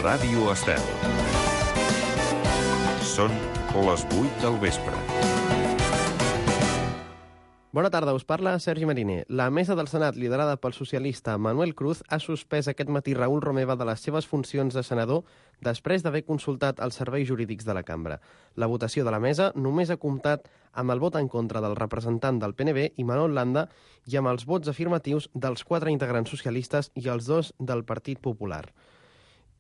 Ràdio Estel. Són les 8 del vespre. Bona tarda, us parla Sergi Mariner. La mesa del Senat, liderada pel socialista Manuel Cruz, ha suspès aquest matí Raül Romeva de les seves funcions de senador després d'haver consultat els serveis jurídics de la cambra. La votació de la mesa només ha comptat amb el vot en contra del representant del PNB, Imanol Landa, i amb els vots afirmatius dels 4 integrants socialistes i els 2 del Partit Popular.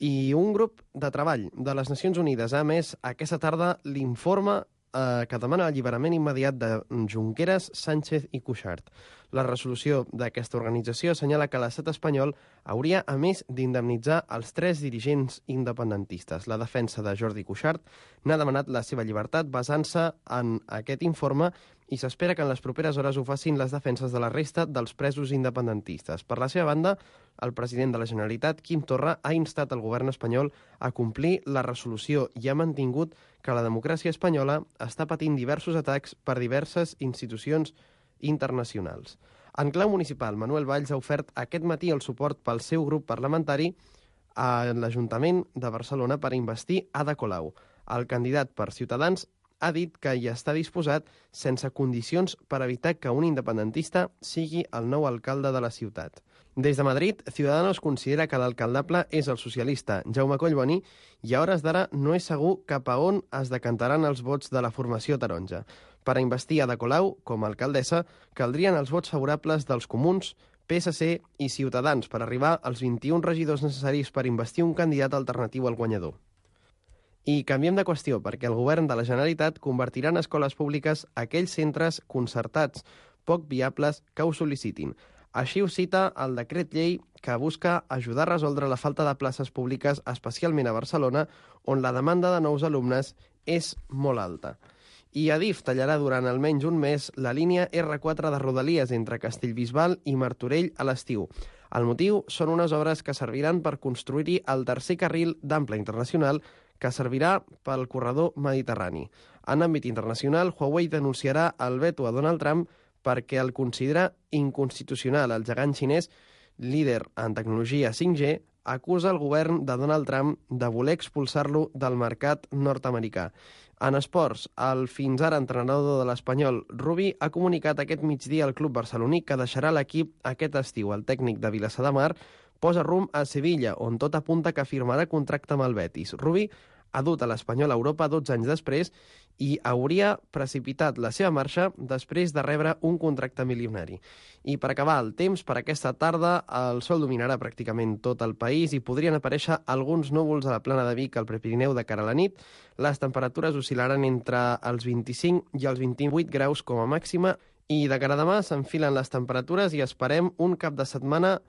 I un grup de treball de les Nacions Unides ha emès aquesta tarda l'informe que demana l'alliberament immediat de Junqueras, Sánchez i Cuixart. La resolució d'aquesta organització assenyala que l'estat espanyol hauria, a més, d'indemnitzar els 3 dirigents independentistes. La defensa de Jordi Cuixart n'ha demanat la seva llibertat basant-se en aquest informe i s'espera que en les properes hores ho facin les defenses de la resta dels presos independentistes. Per la seva banda, el president de la Generalitat, Quim Torra, ha instat el govern espanyol a complir la resolució i ha mantingut que la democràcia espanyola està patint diversos atacs per diverses institucions internacionals. En clau municipal, Manuel Valls ha ofert aquest matí el suport pel seu grup parlamentari a l'Ajuntament de Barcelona per investir Ada Colau. El candidat per Ciutadans ha dit que hi està disposat sense condicions per evitar que un independentista sigui el nou alcalde de la ciutat. Des de Madrid, Ciudadanos considera que l'alcaldable és el socialista Jaume Collboni i a hores d'ara no és segur cap a on es decantaran els vots de la formació taronja. Per a investir Ada Colau com a alcaldessa caldrien els vots favorables dels Comuns, PSC i Ciutadans per arribar als 21 regidors necessaris per investir un candidat alternatiu al guanyador. I canviem de qüestió, perquè el govern de la Generalitat convertirà en escoles públiques aquells centres concertats poc viables que ho sol·licitin. Així ho cita el decret llei que busca ajudar a resoldre la falta de places públiques, especialment a Barcelona, on la demanda de nous alumnes és molt alta. I Adif tallarà durant almenys un mes la línia R4 de Rodalies entre Castellbisbal i Martorell a l'estiu. El motiu són unes obres que serviran per construir-hi el tercer carril d'ample internacional que servirà pel corredor mediterrani. En àmbit internacional, Huawei denunciarà el veto a Donald Trump perquè el considera inconstitucional. El gegant xinès, líder en tecnologia 5G, acusa el govern de Donald Trump de voler expulsar-lo del mercat nord-americà. En esports, el fins ara entrenador de l'Espanyol, Rubi, ha comunicat aquest migdia al club barceloní que deixarà l'equip aquest estiu. El tècnic de Vilassar de Mar posa rumb a Sevilla, on tot apunta que firmarà contracte amb el Betis. Rubi ha dut a l'Espanyol a Europa 12 anys després i hauria precipitat la seva marxa després de rebre un contracte milionari. I per acabar el temps, per aquesta tarda el sol dominarà pràcticament tot el país i podrien aparèixer alguns núvols a la plana de Vic al Prepirineu de cara a la nit. Les temperatures oscil·laran entre els 25 i els 28 graus com a màxima i de cara a demà s'enfilen les temperatures i esperem un cap de setmana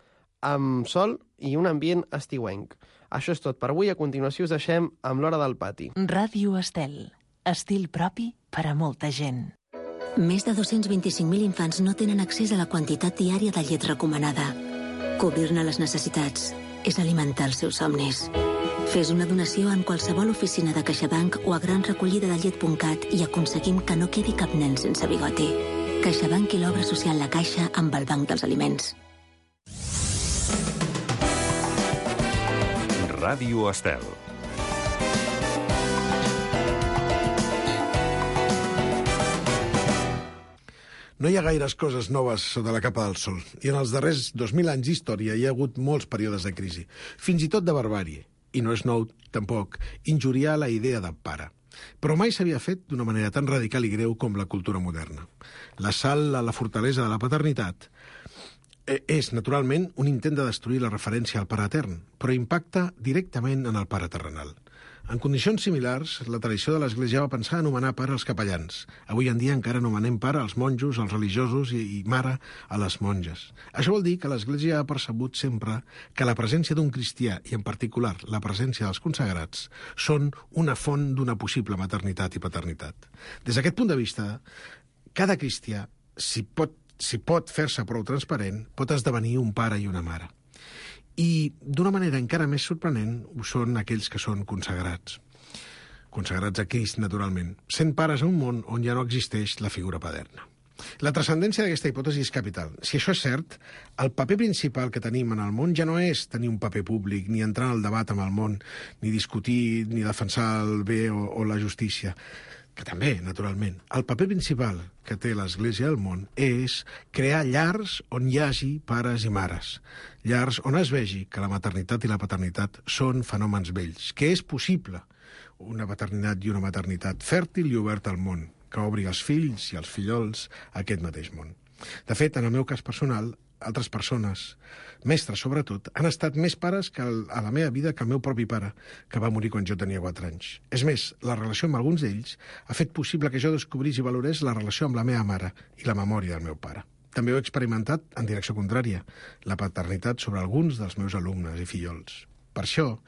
amb sol i un ambient estiuenc. Això és tot per avui. A continuació us deixem amb l'Hora del Pati. Ràdio Estel. Estil propi per a molta gent. Més de 225.000 infants no tenen accés a la quantitat diària de llet recomanada. Cobrir-ne les necessitats és alimentar els seus somnis. Fes una donació en qualsevol oficina de CaixaBank o a granrecollidadellet.cat i aconseguim que no quedi cap nen sense bigoti. CaixaBank i l'obra social La Caixa amb el Banc dels Aliments. Ràdio Estel. No hi ha gaires coses noves sota la capa del sol, i en els darrers 2.000 anys d'història hi ha hagut molts períodes de crisi, fins i tot de barbàrie, i no és nou, tampoc, injuriar la idea de pare. Però mai s'havia fet d'una manera tan radical i greu com la cultura moderna. L'assalt a la fortalesa de la paternitat és, naturalment, un intent de destruir la referència al pare etern, però impacta directament en el pare terrenal. En condicions similars, la tradició de l'Església va pensar anomenar pare als capellans. Avui en dia encara anomenem pare als monjos, als religiosos i mare a les monges. Això vol dir que l'Església ha percebut sempre que la presència d'un cristià, i en particular la presència dels consagrats, són una font d'una possible maternitat i paternitat. Des d'aquest punt de vista, cada cristià, si pot fer-se prou transparent, pot esdevenir un pare i una mare. I, d'una manera encara més sorprenent, ho són aquells que són consagrats. Consagrats a Crist, naturalment, sent pares a un món on ja no existeix la figura paterna. La transcendència d'aquesta hipòtesi és capital. Si això és cert, el paper principal que tenim en el món ja no és tenir un paper públic, ni entrar en el debat amb el món, ni discutir, ni defensar el bé o la justícia, que també, naturalment. El paper principal que té l'Església al món és crear llars on hi hagi pares i mares. Llars on es vegi que la maternitat i la paternitat són fenòmens vells, que és possible una paternitat i una maternitat fèrtil i oberta al món, que obri els fills i els fillols a aquest mateix món. De fet, en el meu cas personal, altres persones, mestres sobretot, han estat més pares que a la meva vida que el meu propi pare, que va morir quan jo tenia 4 anys. És més, la relació amb alguns d'ells ha fet possible que jo descobrís i valorés la relació amb la meva mare i la memòria del meu pare. També ho he experimentat en direcció contrària, la paternitat sobre alguns dels meus alumnes i fillols. Per això,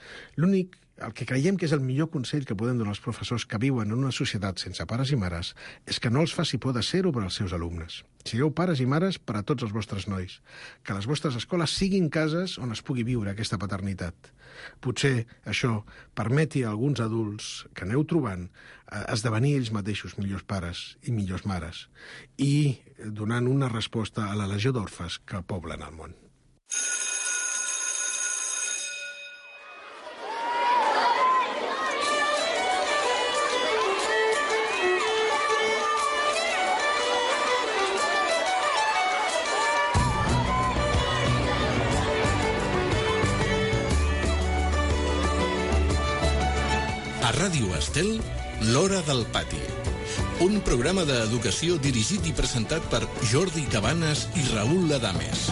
el que creiem que és el millor consell que podem donar als professors que viuen en una societat sense pares i mares és que no els faci por de ser-ho per als seus alumnes. Sigueu pares i mares per a tots els vostres nois. Que les vostres escoles siguin cases on es pugui viure aquesta paternitat. Potser això permeti a alguns adults que aneu trobant esdevenir ells mateixos millors pares i millors mares i donant una resposta a la legió d'orfes que poblen el món. A Ràdio Estel, l'Hora del Pati. Un programa d'educació dirigit i presentat per Jordi Cabanes i Raül Adames.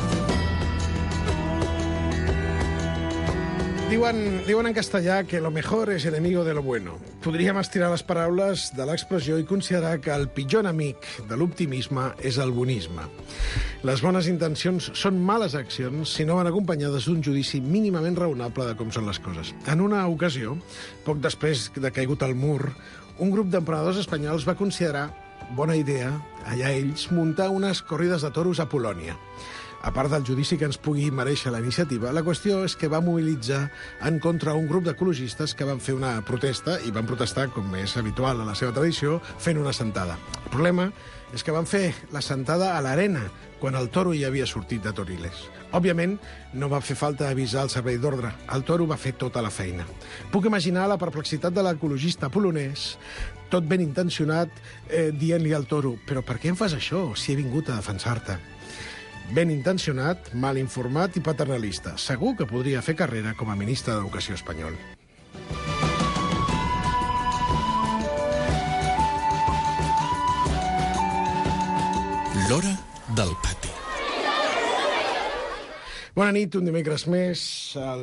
Diuen en castellà que lo mejor es enemigo de lo bueno. Podríem estirar les paraules de l'expressió i considerar que el pitjor enemic de l'optimisme és el bonisme. Les bones intencions són males accions si no van acompanyades d'un judici mínimament raonable de com són les coses. En una ocasió, poc després de caigut el mur, un grup d'emprenedors espanyols va considerar bona idea, allà ells, muntar unes corrides de toros a Polònia. A part del judici que ens pugui mereixer la iniciativa, la qüestió és que va mobilitzar en contra un grup d'ecologistes que van fer una protesta, i van protestar, com és habitual a la seva tradició, fent una sentada. El problema és que van fer la sentada a l'arena, quan el toro ja havia sortit de Toriles. Òbviament, no va fer falta avisar el servei d'ordre. El toro va fer tota la feina. Puc imaginar la perplexitat de l'ecologista polonès, tot ben intencionat, dient-li al toro «Però per què em fas això, si he vingut a defensar-te?» Ben intencionat, mal informat i paternalista. Segur que podria fer carrera com a ministre d'Educació espanyol. L'Hora del Pati. Bona nit, un dimecres més a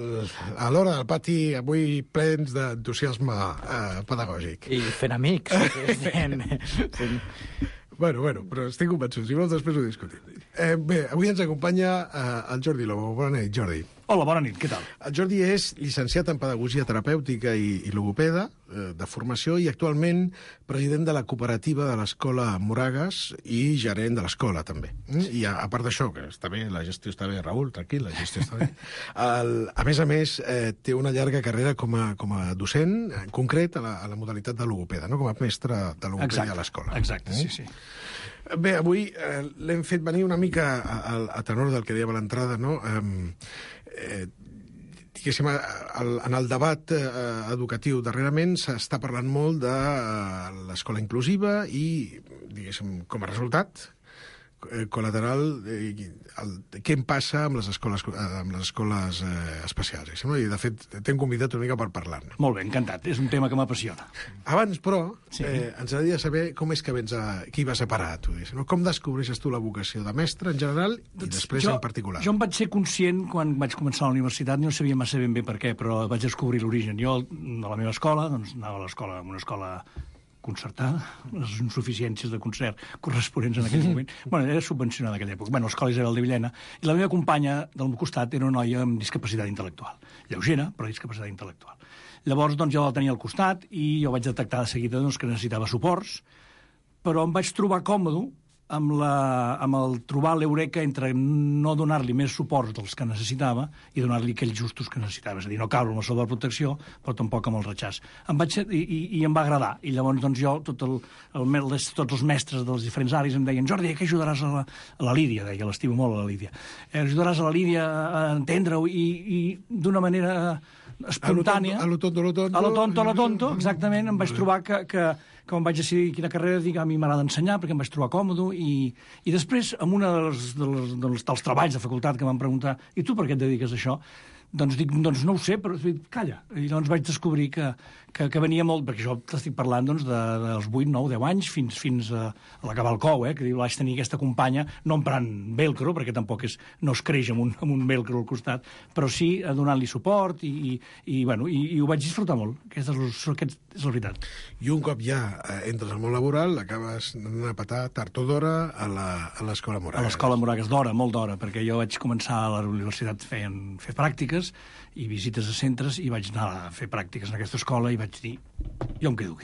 l'Hora del Pati, avui plens d'entusiasme pedagògic. I fent amics. Bueno, però estic convençut, si vols després ho discutim. Bé, avui ens acompanya el Jordi Lobo. Bona nit, Jordi. Hola, bona nit, què tal? El Jordi és llicenciat en Pedagogia Terapèutica i Logopeda, de formació, i actualment president de la cooperativa de l'Escola Moragas i gerent de l'escola, també. I a part d'això, que està bé, la gestió està bé, Raül, tranquil, la gestió està bé. A més, té una llarga carrera com a docent, en concret a la modalitat de logopeda, no? Com a mestre de logopeda a l'escola. Exacte, sí. Bé, avui l'hem fet venir una mica a tenor del que dèiem a l'entrada, no? Diguéssim, en el debat educatiu darrerament s'està parlant molt de l'escola inclusiva i, diguéssim, com a resultat col·lateral, què em passa amb les escoles especials. I, de fet, t'hem convidat una mica per parlar-ne. Molt bé, encantat. És un tema que m'apassiona. Abans, però, ens agradaria saber com és que vens qui va separar tu. Com descobreixes tu la vocació de mestre en general i després en particular? Jo em vaig ser conscient quan vaig començar a la universitat, no sabia massa ben bé per què, però vaig descobrir l'origen. Jo, de la meva escola, doncs, anava a l'escola, una escola concertada, les insuficiències de concert corresponents en aquell moment. Era subvencionada en aquella època. L'escola Isabel de Villena. I la meva companya del meu costat era una noia amb discapacitat intel·lectual. Lleugera, però discapacitat intel·lectual. Llavors, jo la tenia al costat i jo vaig detectar de seguida que necessitava suports, però em vaig trobar còmode amb el trobar l'eureka entre no donar-li més suport dels que necessitava i donar-li aquells justos que necessitava. És a dir, no caure amb la sobreprotecció, però tampoc amb el retxàs. I em va agradar. I llavors doncs, jo, tots els mestres dels diferents àrees em deien Jordi, que ajudaràs a la Lídia, deia, l'estimo molt a la Lídia. Ajudaràs a la Lídia a entendre-ho i d'una manera espontània. A lo tonto, exactament. Em vaig trobar que quan vaig decidir quina carrera, dic, a mi m'agrada ensenyar perquè em vaig trobar còmode i després, en un dels treballs de facultat que m'han preguntat i tu per què et dediques a això? Doncs dic, doncs no ho sé, però calla. I llavors vaig descobrir que venia molt, perquè jo t'estic parlant doncs, dels 8, 9, 10 anys fins a l'acabar el cou, que vaig tenir aquesta companya, no emprant velcro, perquè tampoc no es creix amb un velcro al costat, però sí donant-li suport i ho vaig disfrutar molt. Aquesta és la veritat. I un cop ja entres al món laboral, acabes d'anar a petar tard o d'hora a l'Escola Moragues. A l'Escola Moragues, d'hora, molt d'hora, perquè jo vaig començar a la universitat fent pràctiques i visites a centres i vaig anar a fer pràctiques en aquesta escola i vaig dir, jo em quedo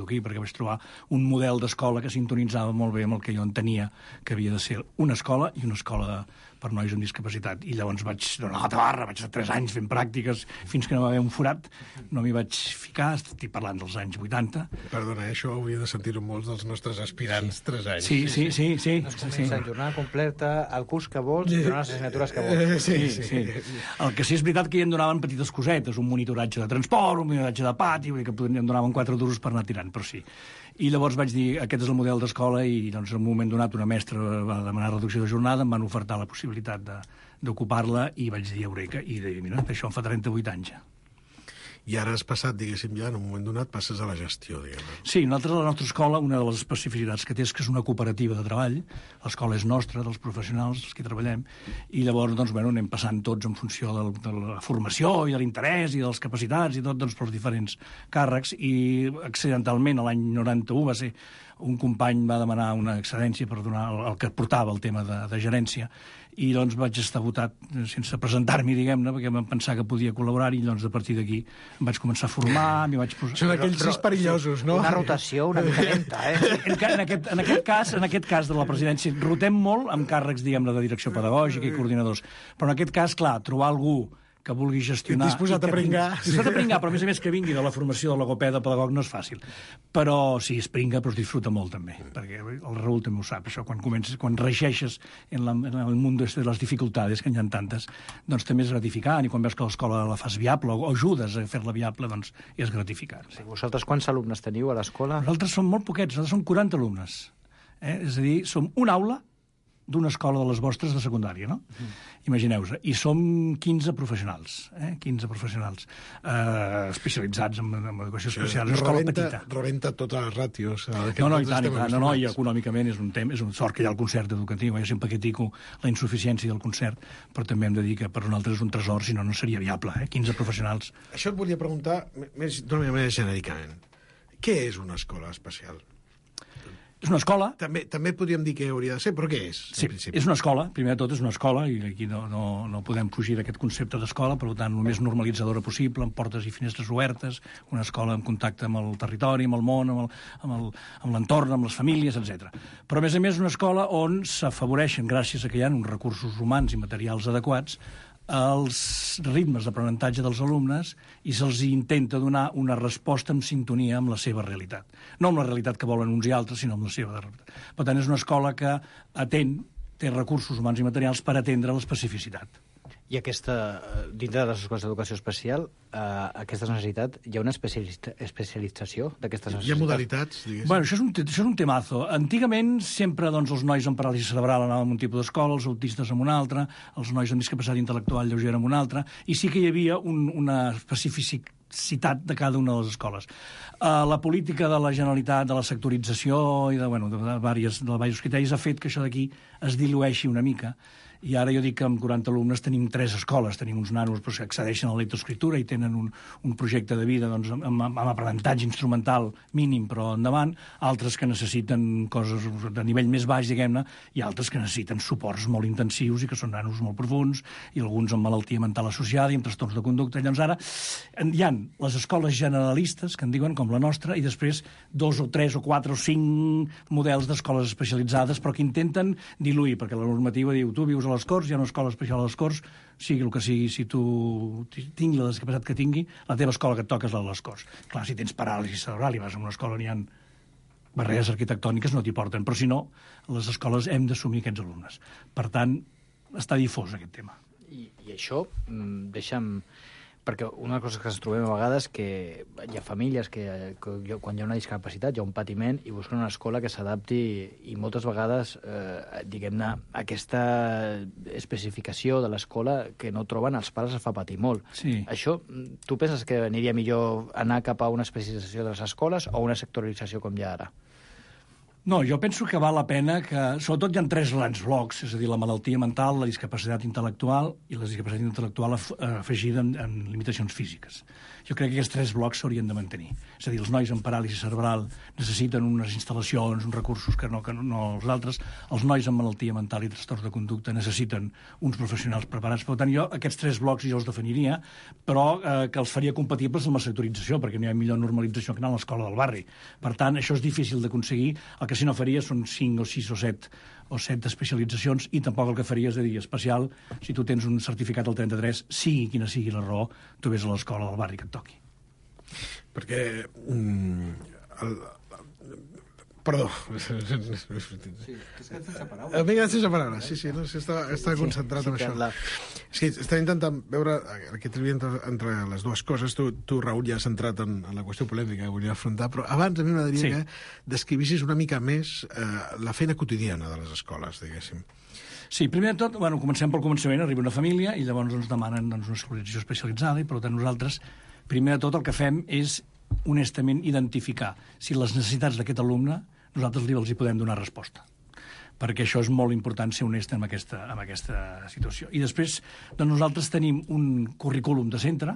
aquí perquè vaig trobar un model d'escola que sintonitzava molt bé amb el que jo entenia que havia de ser una escola i una escola per nois amb discapacitat. I llavors vaig donar la tabarra, vaig estar 3 anys fent pràctiques fins que no va haver un forat, no m'hi vaig ficar, estic parlant dels anys 80. Perdona, això hauria de sentir-ho molts dels nostres aspirants, 3 anys. Sí. La jornada completa, el curs que vols, i donar les assignatures que vols. Sí. El que sí és veritat que ja em donaven petites cosetes, un monitoratge de transport, un monitoratge de pati, vull dir que em donaven 4 duros per anar tirant, però sí. I llavors vaig dir, aquest és el model d'escola i doncs, en un moment donat una mestra va demanar reducció de jornada, em van ofertar la possibilitat d'ocupar-la i vaig dir eureka i dir, mira, això em fa 38 anys ja. I ara has passat, diguéssim, ja en un moment donat passes a la gestió, diguem-ne. Sí, nosaltres a la nostra escola una de les especificitats que té és que és una cooperativa de treball, l'escola és nostra, dels professionals, els que hi treballem, i llavors doncs, anem passant tots en funció de la formació i de l'interès i de les capacitats i tot doncs, pels diferents càrrecs, i accidentalment l'any 91 va ser un company va demanar una excedència per donar el que portava el tema de gerència i doncs vaig estar votat sense presentar-m'hi, diguem-ne, perquè vam pensar que podia col·laborar i doncs a partir d'aquí em vaig començar a formar, m'hi vaig posar... Són aquells 6 perillosos, no? Una rotació una mica lenta, En aquest cas de la presidència rotem molt amb càrrecs, diguem-ne, de direcció pedagògica i coordinadors, però en aquest cas, clar, trobar algú que vulgui gestionar... Disposat a pringar. Disposat a pringar, però a més que vingui de la formació de logopeda pedagog no és fàcil. Però sí, es pringa, però es disfruta molt també, perquè el Raül també ho sap, això, quan reixeixes en el món de les dificultats, que n'hi ha tantes, doncs també és gratificant, i quan veus que l'escola la fas viable o ajudes a fer-la viable, doncs és gratificant. Sí. Vosaltres quants alumnes teniu a l'escola? Nosaltres som molt poquets, nosaltres som 40 alumnes. És a dir, som una aula d'una escola de les vostres de secundària, no? Imagineu-vos. I som 15 professionals, 15 professionals especialitzats en educació especial. És una escola petita. Rebenta totes les ràtios. No, i tant, i econòmicament és un sort que hi ha el concert educatiu. Jo sempre critico la insuficiència del concert, però també hem de dir que per nosaltres és un tresor, si no, no seria viable, 15 professionals. Això et volia preguntar d'una manera genèricament. Què és una escola especial? És una escola. També podríem dir que hauria de ser, però què és? Sí, és una escola. Primer de tot és una escola, i aquí no podem fugir d'aquest concepte d'escola, per tant, el més normalitzadora possible, amb portes i finestres obertes, una escola en contacte amb el territori, amb el món, amb l'entorn, amb les famílies, etc. Però, a més, una escola on s'afavoreixen, gràcies a que hi ha uns recursos humans i materials adequats, els ritmes d'aprenentatge dels alumnes i se'ls intenta donar una resposta en sintonia amb la seva realitat. No amb la realitat que volen uns i altres, sinó amb la seva realitat. Per tant, és una escola que té recursos humans i materials per atendre l'especificitat. I dintre de les escoles d'educació especial, aquesta necessitat, hi ha una especialització d'aquestes necessitats? Hi ha modalitats, diguéssim? Bueno, això és un temazo. Antigament, sempre els nois amb paràlisi cerebral anaven en un tipus d'escola, els autistes en una altra, els nois amb discapacitat intel·lectual lleugera en una altra, i sí que hi havia una especificitat de cada una de les escoles. La política de la Generalitat, de la sectorització i de diversos criteris ha fet que això d'aquí es dilueixi una mica i ara jo dic que amb 40 alumnes tenim 3 escoles, tenim uns nanos que accedeixen a la lectoescriptura i tenen un projecte de vida doncs, amb aprenentatge instrumental mínim però endavant, altres que necessiten coses de nivell més baix, diguem-ne, i altres que necessiten suports molt intensius i que són nanos molt profuns, i alguns amb malaltia mental associada i amb trastorns de conducta. Llavors ara hi ha les escoles generalistes, que en diuen, com la nostra, i després 2 o 3 o 4 o 5 models d'escoles especialitzades, però que intenten diluir, perquè la normativa diu tu vius a les Corts, hi ha una escola especial a les Corts, sigui el que sigui, si tu tingui la discapacitat que tingui, la teva escola que et toca és la de les Corts. Clar, si tens paràlisi cerebral i vas a una escola on hi ha barreres arquitectòniques, no t'hi porten, però si no, a les escoles hem d'assumir aquests alumnes. Per tant, està difós aquest tema. I això, deixa'm... Perquè una cosa que ens trobem a vegades que hi ha famílies que quan hi ha una discapacitat, hi ha un patiment i busquen una escola que s'adapti i moltes vegades, diguem-ne, aquesta especificació de l'escola que no troben els pares es fa patir molt. Sí. Això, tu penses que aniria millor anar cap a una especialització de les escoles o una sectorització com hi ha ara? No, jo penso que val la pena que... Sobretot hi ha 3 grans blocs, és a dir, la malaltia mental, la discapacitat intel·lectual i la discapacitat intel·lectual afegida en limitacions físiques. Jo crec que aquests 3 blocs s'haurien de mantenir. És a dir, els nois amb paràlisi cerebral necessiten unes instal·lacions, uns recursos que no els altres. Els nois amb malaltia mental i trastorns de conducta necessiten uns professionals preparats. Per tant, jo aquests 3 blocs jo els definiria, però que els faria compatibles amb la sectorització, perquè no hi ha millor normalització que anar a l'escola del barri. Per tant, això és difícil d'aconseguir. El que si no faria són 5 o 6 o 7 especialitzacions i tampoc el que faria és de dir especial, si tu tens un certificat al 33, sigui quina sigui la raó, tu vés a l'escola del barri que et toqui. Perquè... Perdó. Sí, és que sense paraules. M'he quedat sense paraules, sí, no, estava concentrat en això. És que estava intentant veure aquest tria entre les dues coses. Tu, Raül, ja has centrat en la qüestió polèmica que volia afrontar, però abans a mi m'agradaria que descrivissis una mica més la feina quotidiana de les escoles, diguéssim. Sí, primer de tot, comencem pel començament, arriba una família i llavors ens demanen una escolarització especialitzada i per tant nosaltres, primer de tot, el que fem és honestament identificar si les necessitats d'aquest alumne nosaltres els hi podem donar resposta, perquè això és molt important ser honest amb aquesta situació. I després doncs nosaltres tenim un currículum de centre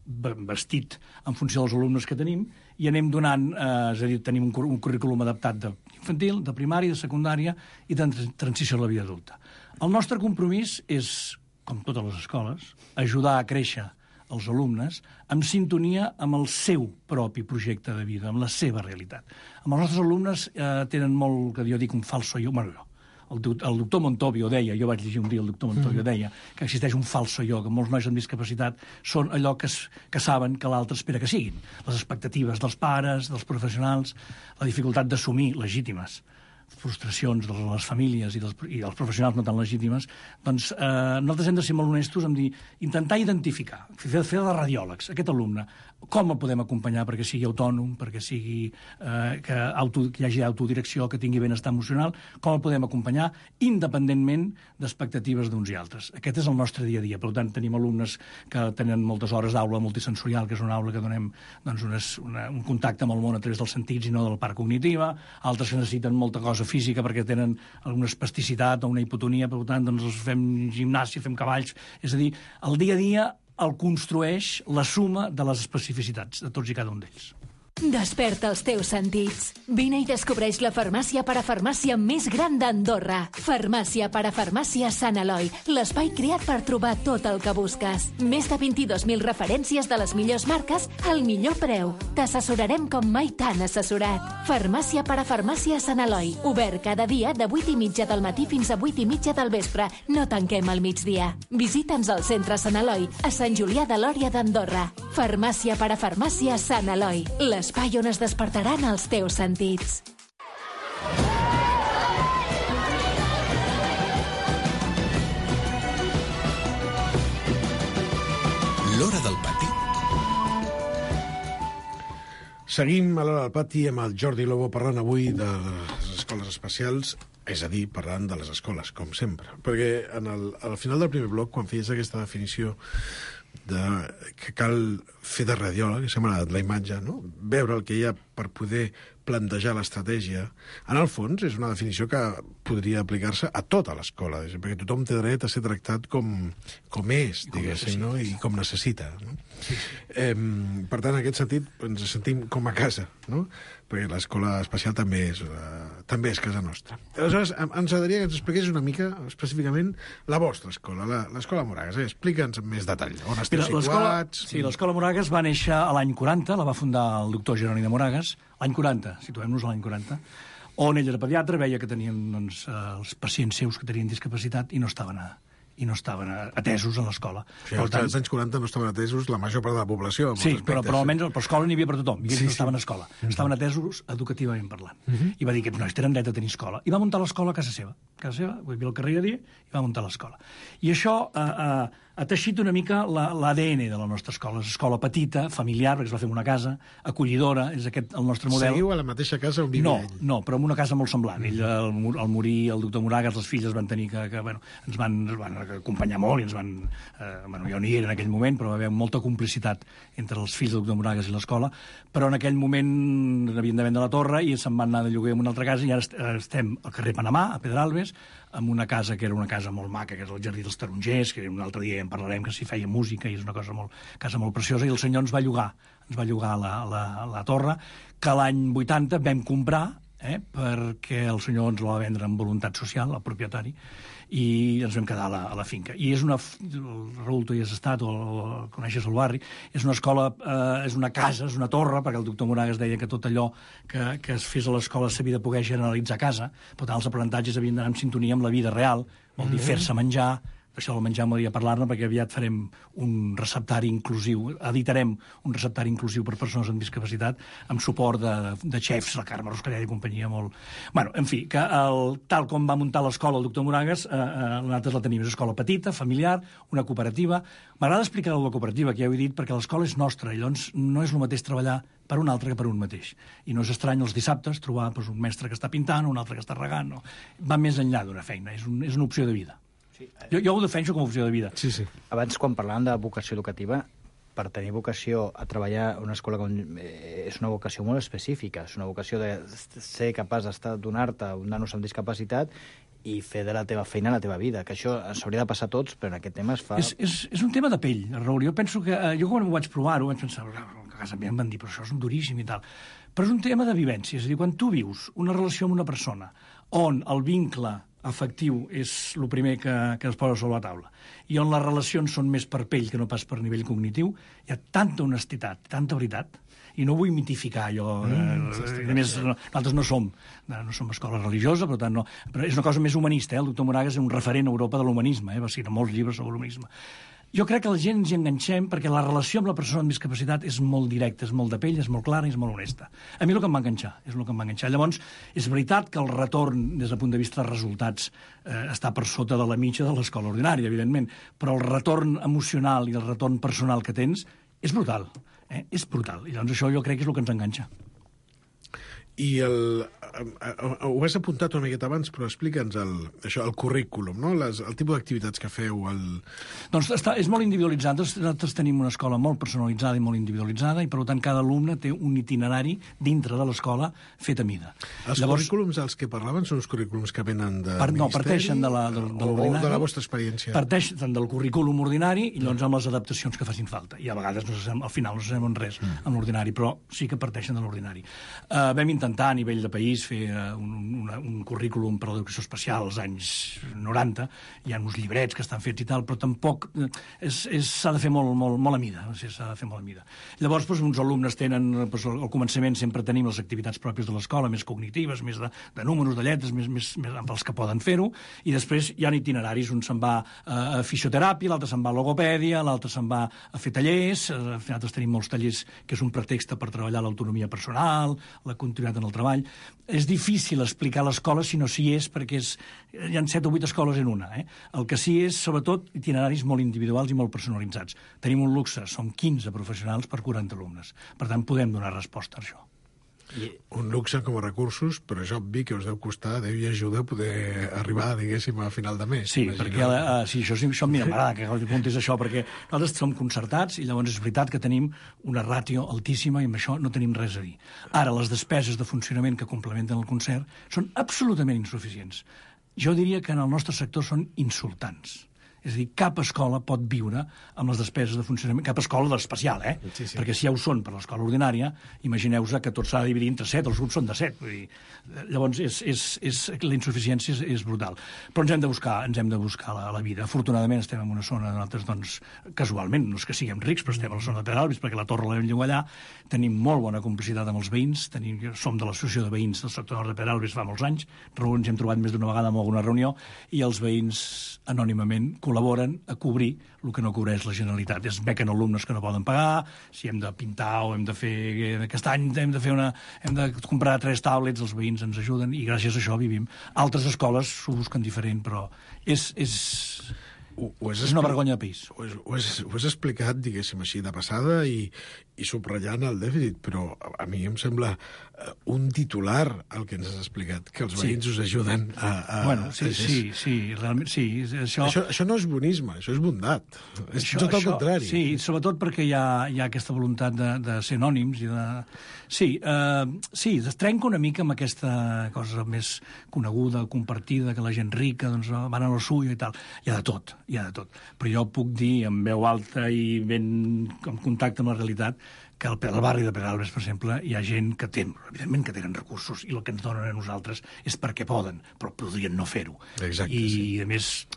vestit en funció dels alumnes que tenim i anem donant, és a dir, tenim un currículum adaptat d'infantil, de primària, de secundària i de transició a la vida adulta. El nostre compromís és, com totes les escoles, ajudar a créixer els alumnes en sintonia amb el seu propi projecte de vida, amb la seva realitat. Amb els nostres alumnes tenen molt, que jo dic, un falso jo. Bueno, el doctor Montovio deia, jo vaig llegir un dia el doctor Montovio deia que existeix un falso jo, que molts nois amb discapacitat són allò que saben que l'altre espera que siguin. Les expectatives dels pares, dels professionals, la dificultat d'assumir legítimes frustracions de les famílies i dels professionals no tan legítimes, doncs nosaltres hem de ser molt honestos en dir, intentar identificar, fer de radiòlegs, aquest alumne, com el podem acompanyar perquè sigui autònom, perquè sigui que hi hagi autodirecció, que tingui benestar emocional, com el podem acompanyar independentment d'expectatives d'uns i altres. Aquest és el nostre dia a dia. Per tant, tenim alumnes que tenen moltes hores d'aula multisensorial, que és una aula que donem doncs, un contacte amb el món a través dels sentits i no de la part cognitiva, altres que necessiten molta cosa física perquè tenen alguna espasticitat o una hipotonia, per tant, doncs fem gimnàsia, fem cavalls. És a dir, el dia a dia el construeix la suma de les especificitats de tots i cada un d'ells. Desperta els teus sentits. Vine i descobreix la farmàcia parafarmàcia més gran d'Andorra. Farmàcia parafarmàcia Sant Eloi, l'espai creat per trobar tot el que busques. Més de 22.000 referències de les millors marques al millor preu. T'assessorarem com mai t'han assessorat. Farmàcia parafarmàcia Sant Eloi, obert cada dia de 8:30 del matí fins a 8:30 del vespre. No tanquem al migdia. Visita'ns al centre Sant Eloi, a Sant Julià de Lòria d'Andorra. Farmàcia parafarmàcia Sant Eloi, l'espai on es despertaran els teus sentits. L'Hora del Pati. Seguim a l'Hora del Pati amb el Jordi Lobo parlant avui de les escoles especials, és a dir, parlant de les escoles, com sempre. Perquè al final del primer bloc, quan feies aquesta definició que cal fer de radiòleg, que s'ha agradat la imatge, no? Veure el que hi ha per poder plantejar l'estratègia, en el fons és una definició que podria aplicar-se a tota l'escola, perquè tothom té dret a ser tractat com és, diguéssim, no? I com necessita. No? Per tant, en aquest sentit, ens sentim com a casa, no? Perquè l'escola especial també és casa nostra. Aleshores, ens agradaria que ens expliqués una mica específicament la vostra escola, l'escola Moragas. Explica'ns amb més detall. On esteu situats? Sí, l'escola Moragas va néixer a l'any 40, la va fundar el doctor Jeroni de Moragas, l'any 40, situem-nos a l'any 40, on ell era pediatre, veia que tenien els pacients seus que tenien discapacitat i no estaven atesos a l'escola. O sigui, als anys 40 no estaven atesos la major part de la població. Sí, però almenys per escola n'hi havia per tothom, i ells no estaven a escola. Estaven atesos educativament parlant. I va dir que nois tenen dret a tenir escola. I va muntar l'escola a casa seva, vull dir, al carrer Iriadier, i va muntar l'escola. I això ha teixit una mica l'ADN de la nostra escola. És escola petita, familiar, perquè es va fer en una casa, acollidora, és aquest el nostre model. Seguiu a la mateixa casa on vivia ell? No, però en una casa molt semblant. Ell, al morir el doctor Moragas, les filles van tenir que ens van acompanyar molt i ens van... jo no hi era en aquell moment, però va haver molta complicitat entre els fills del doctor Moragas i l'escola, però en aquell moment havien de vendre la torre i se'n van anar de lloguer en una altra casa i ara estem al carrer Panamà, a Pedralbes, amb una casa que era una casa molt maca, que és el Jardí dels Tarongers, que un altre dia en parlarem, que s'hi feia música i és una casa molt preciosa, i el senyor ens va llogar la torre, que l'any 80 vam comprar, perquè el senyor ens la va vendre amb voluntat social, el propietari, i ens vam quedar a la finca. I és Raül, tu hi has estat, o coneixes el barri, és una escola, és una casa, és una torre, perquè el doctor Moragas deia que tot allò que es fes a l'escola s'havia de poder generalitzar a casa, per tant els aprenentatges havien d'anar en sintonia amb la vida real, vol dir fer-se menjar. Això del menjar m'hauria parlar-ne, perquè aviat farem un receptari inclusiu, editarem un receptari inclusiu per persones amb discapacitat, amb suport de xefs, la Carme Roscarella i companyia molt... Bueno, en fi, que tal com va muntar l'escola el doctor Moragas, nosaltres la tenim, és escola petita, familiar, una cooperativa. M'agrada explicar la cooperativa, que ja ho he dit, perquè l'escola és nostra, i llavors no és el mateix treballar per un altre que per un mateix. I no és estrany els dissabtes trobar un mestre que està pintant, un altre que està regant, no. Va més enllà d'una feina, és una opció de vida. Sí. Jo ho defenso com a opció de vida. Sí. Abans, quan parlàvem de vocació educativa, per tenir vocació a treballar a una escola és una vocació molt específica, és una vocació de ser capaç donar-te un nano amb discapacitat i fer de la teva feina la teva vida, que això s'hauria de passar a tots, però en aquest tema es fa... És un tema de pell, Raül. Jo penso que... Jo quan ho vaig provar-ho vaig pensar, a casa meva em van dir, però això és duríssim i tal. Però és un tema de vivència, és a dir, quan tu vius una relació amb una persona on el vincle afectiu és el primer que es posa sobre la taula, i on les relacions són més per pell que no pas per nivell cognitiu, hi ha tanta honestitat, tanta veritat, i no vull mitificar allò. A més, nosaltres no som escola religiosa, per tant no. Però és una cosa més humanista, El doctor Moragas és un referent a Europa de l'humanisme, va escriure molts llibres sobre l'humanisme. Jo crec que la gent ens hi enganxem perquè la relació amb la persona amb discapacitat és molt directa, és molt de pell, és molt clara i és molt honesta. A mi és el que em va enganxar, Llavors, és veritat que el retorn, des del punt de vista dels resultats, està per sota de la mitja de l'escola ordinària, evidentment, però el retorn emocional i el retorn personal que tens és brutal. És brutal. I llavors això jo crec que és el que ens enganxa. I ho has apuntat una miqueta abans, però explica'ns el currículum, no? El tipus d'activitats que feu. Doncs és molt individualitzat. Nosaltres tenim una escola molt personalitzada i molt individualitzada, i per tant cada alumne té un itinerari dintre de l'escola fet a mida. Currículums als que parlaven són els currículums que venen del Ministeri? No, parteixen de l'ordinari. O de la vostra experiència? Parteixen del currículum ordinari i llavors amb les adaptacions que facin falta. I a vegades al final no sabem en res amb l'ordinari, però sí que parteixen de l'ordinari. Vam intentar a nivell de país fer un currículum per a l'educació especial als anys 90, hi ha uns llibrets que estan fets i tal, però tampoc s'ha de fer molt a mida, s'ha de fer molt a mida. Llavors, uns alumnes tenen, al començament sempre tenim les activitats pròpies de l'escola, més cognitives, més de números, de lletres, més amb els que poden fer-ho, i després hi ha itineraris, un se'n va a fisioteràpia, l'altre se'n va a logopèdia, l'altre se'n va a fer tallers, nosaltres tenim molts tallers que és un pretext per treballar l'autonomia personal, la continuïtat en el treball. És difícil explicar l'escola si no s'hi és, perquè hi ha 7 o 8 escoles en una. El que sí és, sobretot, itineraris molt individuals i molt personalitzats. Tenim un luxe, som 15 professionals per 40 alumnes. Per tant, podem donar resposta a això. Un luxe com a recursos, però és obvi que us deu costar, Déu i ajuda, poder arribar, diguéssim, a final de mes. Sí, perquè això mira, m'agrada que el punt és això, perquè nosaltres som concertats i llavors és veritat que tenim una ràtio altíssima i amb això no tenim res a dir. Ara, les despeses de funcionament que complementen el concert són absolutament insuficients. Jo diria que en el nostre sector són insultants. És a dir, cap escola pot viure amb les despeses de funcionament, cap escola d'especial, Sí. Perquè si ja ho són per l'escola ordinària, imagineu-vos que tot s'ha de dividir entre 7, els grups són de 7. Vull dir, llavors, la insuficiència és brutal. Però ens hem de buscar la vida. Afortunadament estem en una zona, nosaltres, doncs, casualment, no és que siguem rics, però estem a la zona de Pedralbes, perquè la torre la vam llogar allà, tenim molt bona complicitat amb els veïns, som de l'associació de veïns del sector nord de Pedralbes fa molts anys, ens hem trobat més d'una vegada en alguna reunió, i els veïns anònimament col·laboren a cobrir el que no cobreix la Generalitat. Es bequen alumnes que no poden pagar, si hem de pintar o hem de fer... Aquest any hem de comprar 3 tablets, els veïns ens ajuden i gràcies a això vivim. Altres escoles s'ho busquen diferent, però és una vergonya de país. Ho has explicat, diguéssim així, de passada i subratllant el dèficit, però a mi em sembla un titular el que ens has explicat, que els veïns us ajuden a... Bueno, sí, realment sí. Això no és bonisme, això és bondat. És tot el contrari. Sí, sobretot perquè hi ha aquesta voluntat de ser anònims i de... Sí, es trenca una mica amb aquesta cosa més coneguda, compartida, que la gent rica doncs, van a lo suyo i tal. Hi ha de tot. Però jo puc dir en veu alta i ben en contacte amb la realitat que al barri de Pedralbes, per exemple, hi ha gent que té, evidentment que tenen recursos i el que ens donen a nosaltres és perquè poden, però podrien no fer-ho. Exacte, I, a més,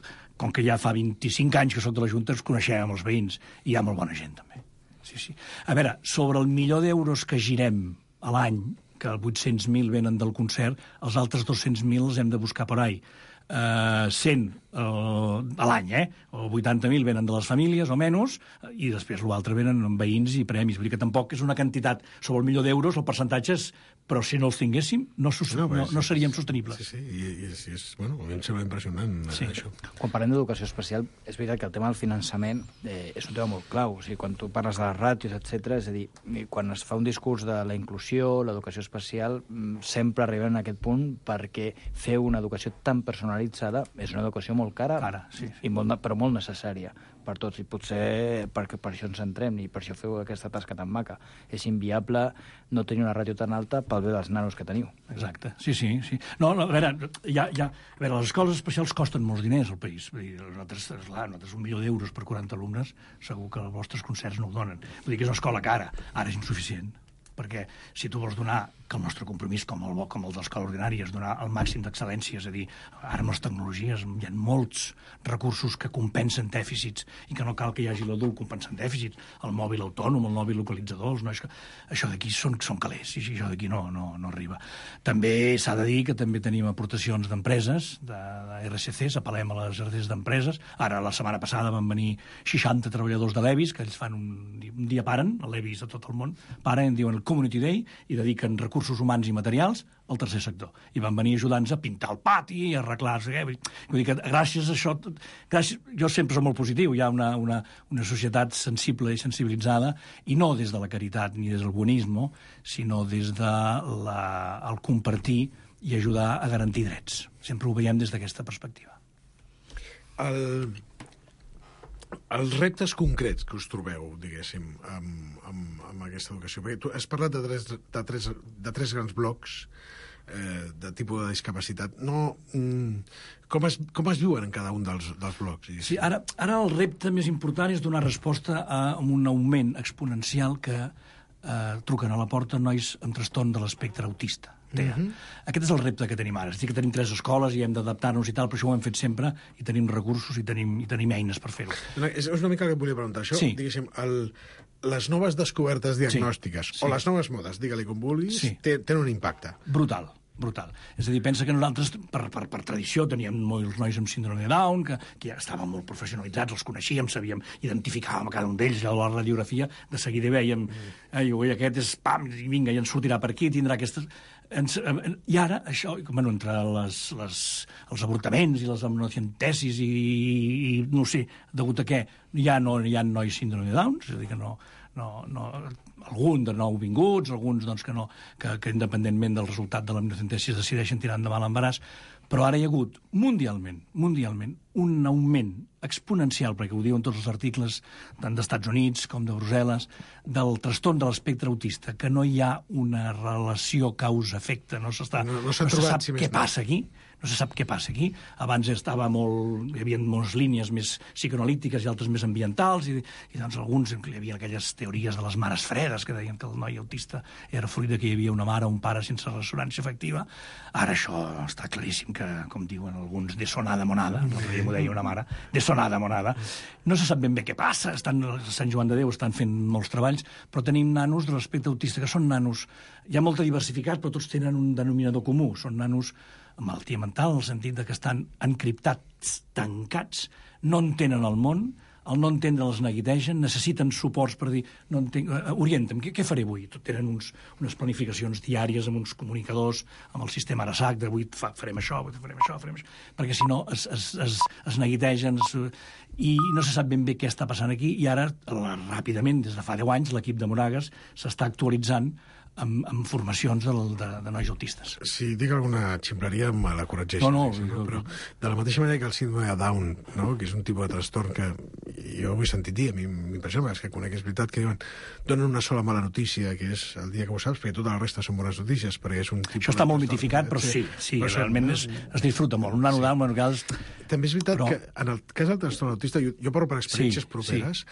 com que ja fa 25 anys que soc de la Junta, ens coneixem amb els veïns i hi ha molt bona gent, també. Sí. A veure, sobre el milió d'euros que girem a l'any, que 800.000 venen del concert, els altres 200.000 els hem de buscar per ahí. 100 a l'any, o 80.000 venen de les famílies o menys, i després l'altre venen amb veïns i premis. Vull dir que tampoc és una quantitat sobre el milió d'euros, el percentatge és... Però si no els tinguéssim, no seríem sostenibles. Sí, i bueno, a mi em sembla impressionant això. Quan parlem d'educació especial, és veritat que el tema del finançament és un tema molt clau. O sigui, quan tu parles de les ràtios, etc., és a dir, quan es fa un discurs de la inclusió, l'educació especial, sempre arribem a aquest punt perquè fer una educació tan personalitzada és una educació molt cara, però molt necessària per tots, i potser perquè per això ens centrem i per això feu aquesta tasca tan maca. És inviable no tenir una ràtio tan alta pel bé dels nanos que teniu. Exacte, sí. No, a veure, les escoles especials costen molts diners al país. Nosaltres 1 milió d'euros per 40 alumnes, segur que els vostres concerts no ho donen. Vull dir que és una escola cara, ara és insuficient. Perquè si tu vols donar, que el nostre compromís, com el de l'escola ordinària, és donar el màxim d'excel·lència, és a dir, ara amb les tecnologies hi ha molts recursos que compensen dèficits i que no cal que hi hagi l'adult compensant dèficits, el mòbil autònom, el mòbil localitzador, no, això d'aquí són calés, i això d'aquí no arriba. També s'ha de dir que també tenim aportacions d'empreses, de RSCs, apel·lem a les RSCs d'empreses. Ara, la setmana passada van venir 60 treballadors de l'EVIS, que ells fan un dia paren, a l'EVIS de tot el món, paren, diuen el Community Day, i dediquen recursos humans i materials al tercer sector. I van venir ajudant-nos a pintar el pati, a arreglar-se. Vull dir que gràcies a això... Jo sempre soc molt positiu. Hi ha una societat sensible i sensibilitzada, i no des de la caritat ni des del bonisme, sinó des del compartir i ajudar a garantir drets. Sempre ho veiem des d'aquesta perspectiva. Els reptes concrets que us trobeu, diguéssim, amb aquesta educació, perquè tu has parlat de tres grans blocs de tipus de discapacitat. Com es viuen en cada un dels blocs? Sí, ara el repte més important és donar resposta a un augment exponencial que truquen a la porta nois amb trastorn de l'espectre autista. Aquest és el repte que tenim ara. És a dir, que tenim 3 escoles i hem d'adaptar-nos i tal, però això ho hem fet sempre i tenim recursos i tenim eines per fer-ho. És una mica el que et volia preguntar. Això, diguéssim, les noves descobertes diagnòstiques o les noves modes, digue-li com vulguis, tenen un impacte. Brutal. És a dir, pensa que nosaltres, per tradició, teníem molts nois amb síndrome de Down, que ja estaven molt professionalitzats, els coneixíem, sabíem, identificàvem a cada un d'ells, a la radiografia, de seguida veiem, aquest és, pam, i vinga, i ens sortirà per aquí, tindrà aquestes... I ara, això, entre els avortaments i les amniocentesis i no sé, degut a què, ja no hi ha nois síndrome de Down, és a dir, que no algun de nouvinguts, alguns doncs, que independentment del resultat de l'amniocentesi decideixen tirar endavant l'embaràs, però ara hi ha hagut mundialment un augment exponencial, perquè ho diuen tots els articles tant d'Estats Units com de Brussel·les, del trastorn de l'espectre autista, que no hi ha una relació causa-efecte, no se sap què passa aquí. No se sap què passa aquí. Abans hi havia moltes línies més psicoanalítiques i altres més ambientals, i doncs alguns hi havia aquelles teories de les mares fredes que deien que el noi autista era fruit que hi havia una mare o un pare sense ressonància efectiva. Ara això està claríssim que, com diuen alguns, de sonada monada, m'ho deia una mare, de sonada monada. No se sap ben bé què passa, a Sant Joan de Déu estan fent molts treballs, però tenim nanos de l'espectre autista, que són nanos, hi ha molta diversificat, però tots tenen un denominador comú, són nanos amb malaltia mental, en el sentit que estan encriptats, tancats, no entenen el món, al no entendre els neguitegen, necessiten suports per dir, no entenc, orienta'm, què faré avui? Tenen unes planificacions diàries amb uns comunicadors, amb el sistema ARASAC, d'avui farem això, perquè si no es neguitegen i no se sap ben bé què està passant aquí, i ara, ràpidament, des de fa 10 anys, l'equip de Moragas s'està actualitzant amb formacions de nois autistes. Si dic alguna ximpleria, me la corregeixo. Però de la mateixa manera que el síndrome de Down, no? Que és un tipus de trastorn que jo ho he sentit dir, a mi m'impressiona, és que conec, és veritat que diuen, donen una sola mala notícia, que és el dia que ho saps, perquè tota la resta són bones notícies, perquè és un tipus... Això està molt mitificat, però sí, realment es disfruta molt. Un nano Down, en cas... També és veritat que en el cas del trastorn autista, jo parlo per experiències properes,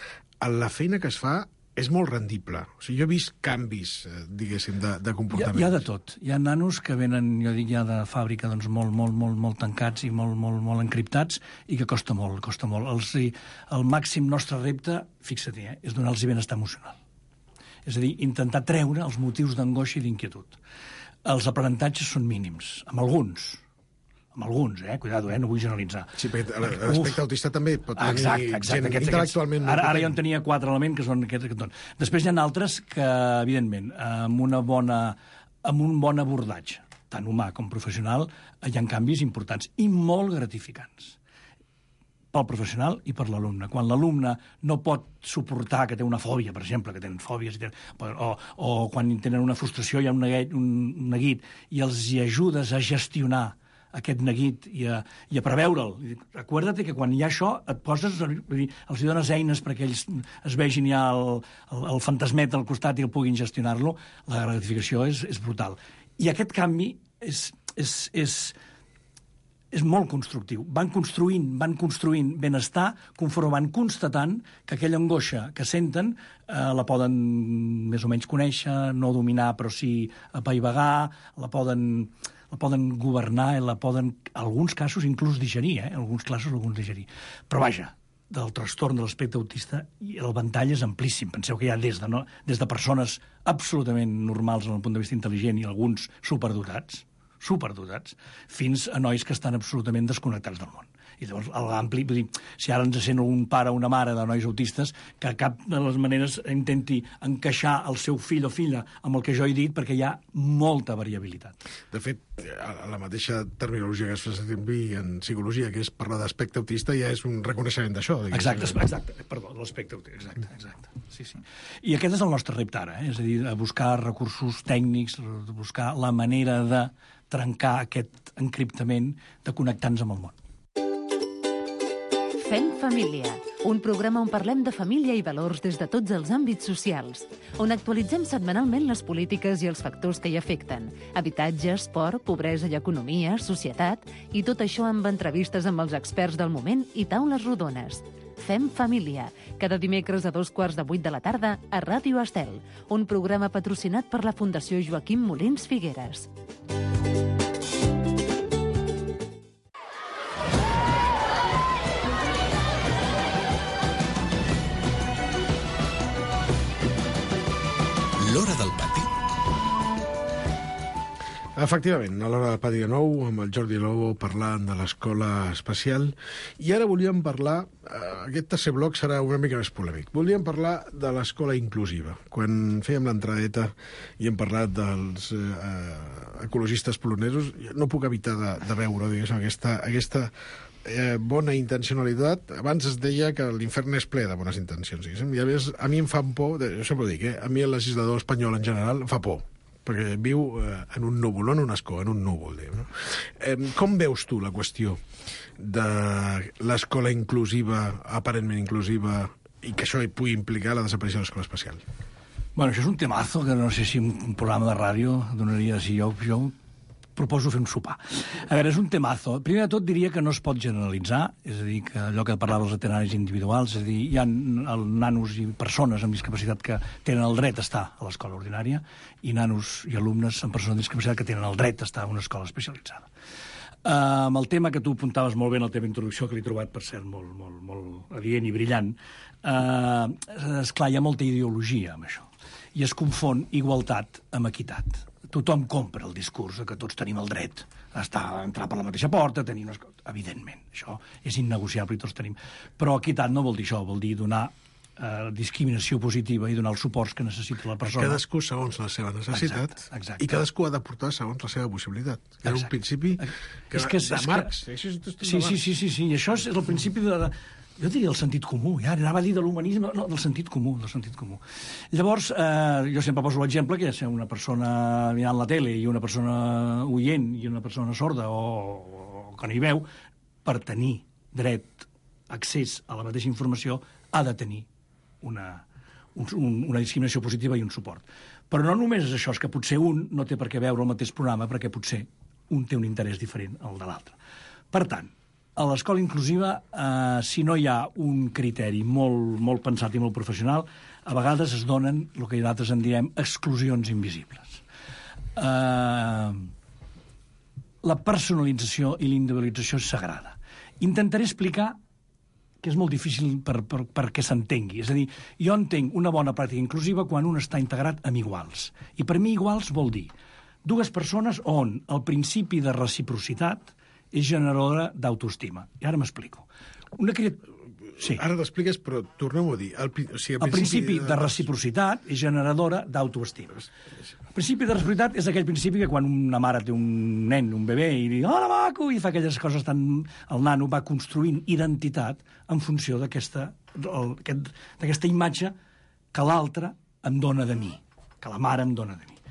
la feina que es fa és molt rendible. O sigui, jo he vist canvis, diguéssim, de comportament. Hi ha de tot. Hi ha nanos que venen, jo dic, ja de fàbrica, doncs, molt tancats i molt encriptats, i que costa molt. El màxim nostre repte, fixa't, és donar-los benestar emocional. És a dir, intentar treure els motius d'angoixa i d'inquietud. Els aprenentatges són mínims, amb alguns, cuidado, no vull generalitzar. Sí, perquè l'aspecte autista també pot tenir gent intel·lectualment... Ara jo en tenia 4 elements, que són aquests que et donen. Després hi ha altres que, evidentment, amb un bon abordatge, tant humà com professional, hi ha canvis importants i molt gratificants pel professional i per l'alumne. Quan l'alumne no pot suportar que té una fòbia, per exemple, que tenen fòbies, o quan tenen una frustració, hi ha un neguit, i els hi ajudes a gestionar aquest neguit i a preveure'l. Recorda't que quan hi ha això et poses, els dones eines perquè ells es vegin ja el fantasmet al costat i el puguin gestionar-lo, la gratificació és brutal. I aquest canvi és molt constructiu. Van construint benestar conforme van constatant que aquella angoixa que senten la poden més o menys conèixer, no dominar però sí apaivagar, la poden governar i la poden, en alguns casos, inclús digerir, alguns digerir. Però vaja, del trastorn de l'espectre autista, el ventall és amplíssim. Penseu que hi ha des de persones absolutament normals en el punt de vista intel·ligent i alguns superdotats, fins a nois que estan absolutament desconnectats del món. I llavors, l'ampli, vull dir, si ara ens sent un pare o una mare de nois autistes, que cap de les maneres intenti encaixar el seu fill o filla amb el que jo he dit, perquè hi ha molta variabilitat. De fet, la mateixa terminologia que es fa servir en psicologia, que és parlar d'aspecte autista, ja és un reconeixement d'això. Exacte, perdó, l'aspecte autista, exacte. Sí. I aquest és el nostre repte ara, és a dir, a buscar recursos tècnics, buscar la manera de trencar aquest encriptament, de connectar-nos amb el món. Fem família, un programa on parlem de família i valors des de tots els àmbits socials, on actualitzem setmanalment les polítiques i els factors que hi afecten, habitatge, esport, pobresa i economia, societat, i tot això amb entrevistes amb els experts del moment i taules rodones. Fem família, cada dimecres a 7:15 de la tarda a Ràdio Estel, un programa patrocinat per la Fundació Joaquim Molins Figueres. L'Hora del Pati. Efectivament, a l'hora del pati de nou, amb el Jordi Lobo parlant de l'escola especial, i ara volíem parlar, aquest tercer bloc serà una mica més polèmic, volíem parlar de l'escola inclusiva. Quan fèiem l'entradeta i hem parlat dels ecologistes polonesos, no puc evitar de veure, diguéssim, aquesta bona intencionalitat. Abans es deia que l'infern és ple de bones intencions, diguéssim, i a més a mi em fa por, jo sempre ho dic, a mi el legislador espanyol en general em fa por, perquè viu en un núvol, no en un escó, en un núvol. No? Com veus tu la qüestió de l'escola inclusiva, aparentment inclusiva, i que això pugui implicar la desaparició de l'escola especial? Bueno, això és un temazo que no sé si un programa de ràdio donaria... Si jo proposo fer un sopar. A veure, és un temazo. Primer de tot diria que no es pot generalitzar, és a dir, que allò que parlava dels itineraris individuals, és a dir, hi ha nanos i persones amb discapacitat que tenen el dret a estar a l'escola ordinària i nanos i alumnes amb persones amb discapacitat que tenen el dret a estar a una escola especialitzada. Amb el tema que tu apuntaves molt bé en la teva introducció, que l'he trobat, per cert, molt adient i brillant, esclar, hi ha molta ideologia amb això, i es confon igualtat amb equitat. Tothom compra el discurs que tots tenim el dret a entrar per la mateixa porta, tenir unes coses. Evidentment, això és innegociable i tots tenim. Però equitat no vol dir això, vol dir donar discriminació positiva i donar els suports que necessita la persona. Cadascú segons la seva necessitat. Exacte. I cadascú ha d'aportar segons la seva possibilitat. És un principi de Marx. Sí, i això és el principi de... Jo diria el sentit comú, ja anava a dir de l'humanisme, no, del sentit comú. Llavors, jo sempre poso l'exemple que és una persona mirant la tele i una persona oient i una persona sorda o que no hi veu, per tenir dret, accés a la mateixa informació, ha de tenir una discriminació positiva i un suport. Però no només és això, és que potser un no té per què veure el mateix programa perquè potser un té un interès diferent al de l'altre. Per tant, a l'escola inclusiva, si no hi ha un criteri molt pensat i molt professional, a vegades es donen el que nosaltres en diem exclusions invisibles. La personalització i l'individualització és sagrada. Intentaré explicar que és molt difícil perquè s'entengui. És a dir, jo entenc una bona pràctica inclusiva quan un està integrat amb iguals. I per mi iguals vol dir dues persones on el principi de reciprocitat és generadora d'autoestima. I ara m'explico. Sí. Ara t'expliques, però tornem-ho a dir. El principi de reciprocitat és generadora d'autoestima. El principi de reciprocitat és aquell principi que quan una mare té un nen, un bebè, i diu, hola, maco, i fa aquelles coses tan... El nano va construint identitat en funció d'aquesta imatge que l'altre em dona de mi, que la mare em dona de mi.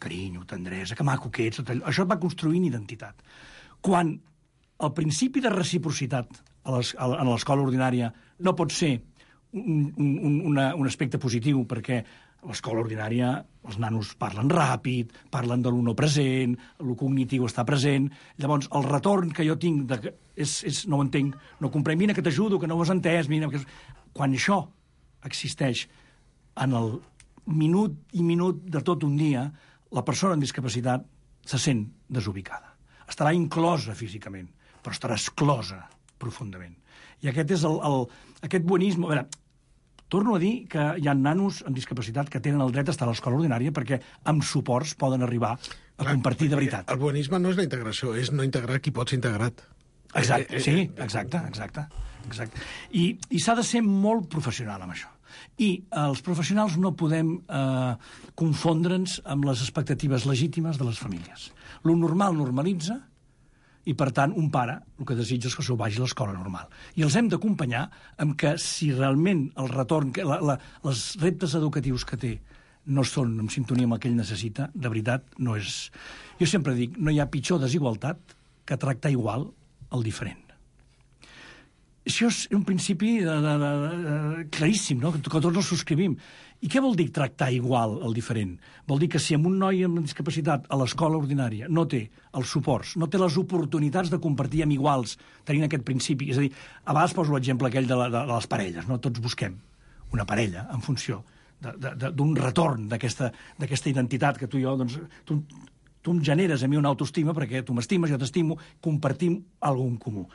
Carinyo, tendresa, que maco que ets... Això va construint identitat. Quan el principi de reciprocitat en l'escola ordinària no pot ser un aspecte positiu, perquè a l'escola ordinària els nanos parlen ràpid, parlen de lo no present, el cognitiu està present, llavors el retorn que jo tinc no ho entenc, no comprenc, mira que t'ajudo, que no ho has entès, mira... Quan això existeix en el minut i minut de tot un dia, la persona amb discapacitat se sent desubicada. Estarà inclosa físicament, però estarà exclosa profundament. I aquest és aquest buenisme... A veure, torno a dir que hi ha nanos amb discapacitat que tenen el dret a estar a l'escola ordinària perquè amb suports poden arribar a compartir de veritat. El buenisme no és la integració, és no integrar qui pot ser integrat. Exacte, sí, exacte. I s'ha de ser molt professional amb això. I els professionals no podem confondre'ns amb les expectatives legítimes de les famílies. Lo normal normalitza i, per tant, un pare el que desitja és que s'ho vagi a l'escola normal. I els hem d'acompanyar amb que si realment el retorn, els reptes educatius que té no són en sintonia amb el que ell necessita, de veritat, no és... Jo sempre dic, no hi ha pitjor desigualtat que tractar igual el diferent. Això és un principi claríssim, no? Que tots el subscrivim. I què vol dir tractar igual el diferent? Vol dir que si un noi amb discapacitat a l'escola ordinària no té els suports, no té les oportunitats de compartir amb iguals, tenint aquest principi, és a dir, a vegades poso l'exemple aquell de les parelles, no? Tots busquem una parella en funció d'un retorn d'aquesta identitat que tu i jo, doncs, tu em generes a mi una autoestima perquè tu m'estimes, jo t'estimo, compartim alguna en comú.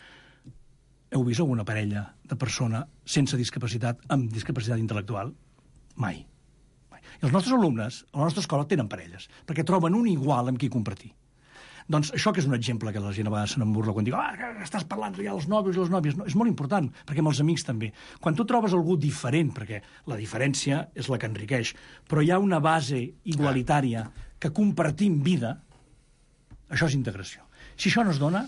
Heu vist alguna parella de persona sense discapacitat amb discapacitat intel·lectual? Mai. I els nostres alumnes, a la nostra escola, tenen parelles, perquè troben un igual amb qui compartir. Doncs això que és un exemple que la gent a vegades se n'emburla quan diu estàs parlant ja dels nòvios i les nòvies. No, és molt important, perquè amb els amics també. Quan tu trobes algú diferent, perquè la diferència és la que enriqueix, però hi ha una base igualitària que compartim vida, això és integració. Si això no es dona,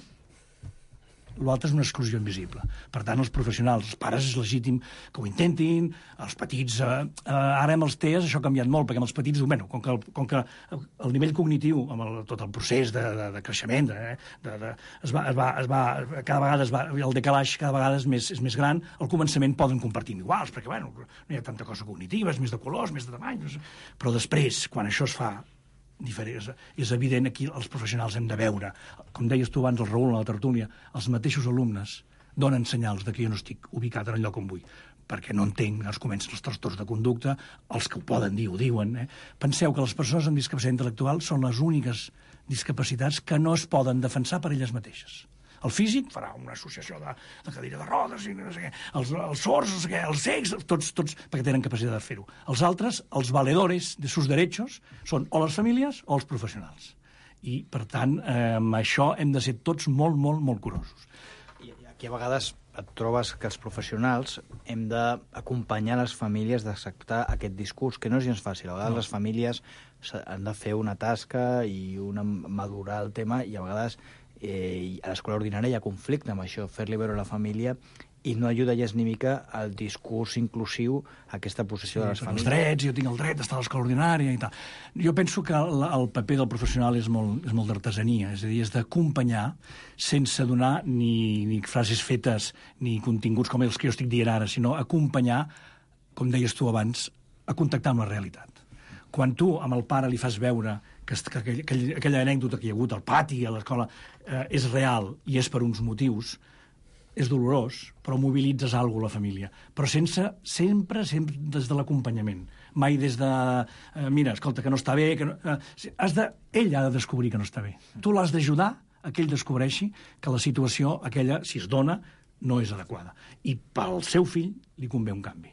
l'altre és una exclusió invisible. Per tant, els professionals, els pares, és legítim que ho intentin, els petits... Ara amb els TEAs això ha canviat molt, perquè amb els petits, com que el nivell cognitiu, amb tot el procés de creixement, cada vegada el decalaix cada vegada és més gran, al començament poden compartir iguals, perquè no hi ha tanta cosa cognitiva, és més de colors, més de tamany, però després, quan això es fa és evident aquí els professionals hem de veure, com deies tu abans el Raül a la tertúlia, els mateixos alumnes donen senyals de que jo no estic ubicat en el lloc on vull, perquè no entenc, es comencen els trastorns de conducta, els que ho poden dir ho diuen. Penseu que les persones amb discapacitat intel·lectual són les úniques discapacitats que no es poden defensar per elles mateixes. El físic farà una associació de cadira de rodes, i no sé què. Els sords, no sé què, els cecs, tots perquè tenen capacitat de fer-ho. Els altres, els valedores de sus derechos, són o les famílies o els professionals. I, per tant, amb això hem de ser tots molt, molt, molt curosos. I aquí a vegades et trobes que els professionals hem d'acompanyar les famílies d'acceptar aquest discurs, que no és gens fàcil. A vegades les famílies han de fer una tasca i madurar el tema, i a vegades a l'escola ordinària hi ha conflicte amb això, fer-li veure a la família, i no ajuda gens ni mica al discurs inclusiu, a aquesta possessió de les famílies. Els drets, jo tinc el dret d'estar a l'escola ordinària i tal. Jo penso que el paper del professional és molt d'artesania, és a dir, és d'acompanyar sense donar ni frases fetes ni continguts com els que jo estic dient ara, sinó acompanyar, com deies tu abans, a contactar amb la realitat. Quan tu amb el pare li fas veure que aquella anècdota que hi ha hagut al pati, a l'escola, és real i és per uns motius, és dolorós, però mobilitzes alguna cosa a la família. Però sempre des de l'acompanyament. Mai des de, mira, escolta, que no està bé... Ell ha de descobrir que no està bé. Tu l'has d'ajudar a que ell descobreixi que la situació aquella, si es dona, no és adequada. I pel seu fill li convé un canvi.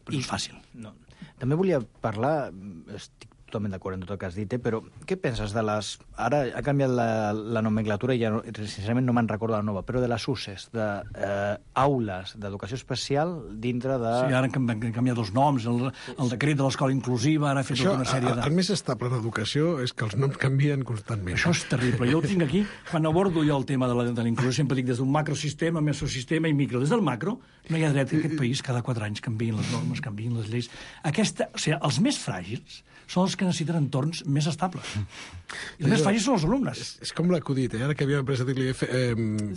Però és fàcil. No. També volia parlar, estic totalment d'acord amb tot el que has dit, però què penses de les... Ara ha canviat la nomenclatura i ja, sincerament no me'n recordo la nova, però de les UCEs, d'aules d'educació especial dintre de... Sí, ara han canviat els noms, el decret de l'escola inclusiva, ara ha fet tota una sèrie de... El més estable en educació és que els noms canvien constantment. Això és terrible. Jo ho tinc aquí, quan abordo jo el tema de la inclusió, sempre dic des d'un macrosistema, mesosistema i micro. Des del macro no hi ha dret que aquest país cada 4 anys canviïn les normes, canviïn les lleis. Els més fràgils són els que necessiten entorns més estables. I els més fràgils són els alumnes. És com l'acudit, ara que havíem après a dir-li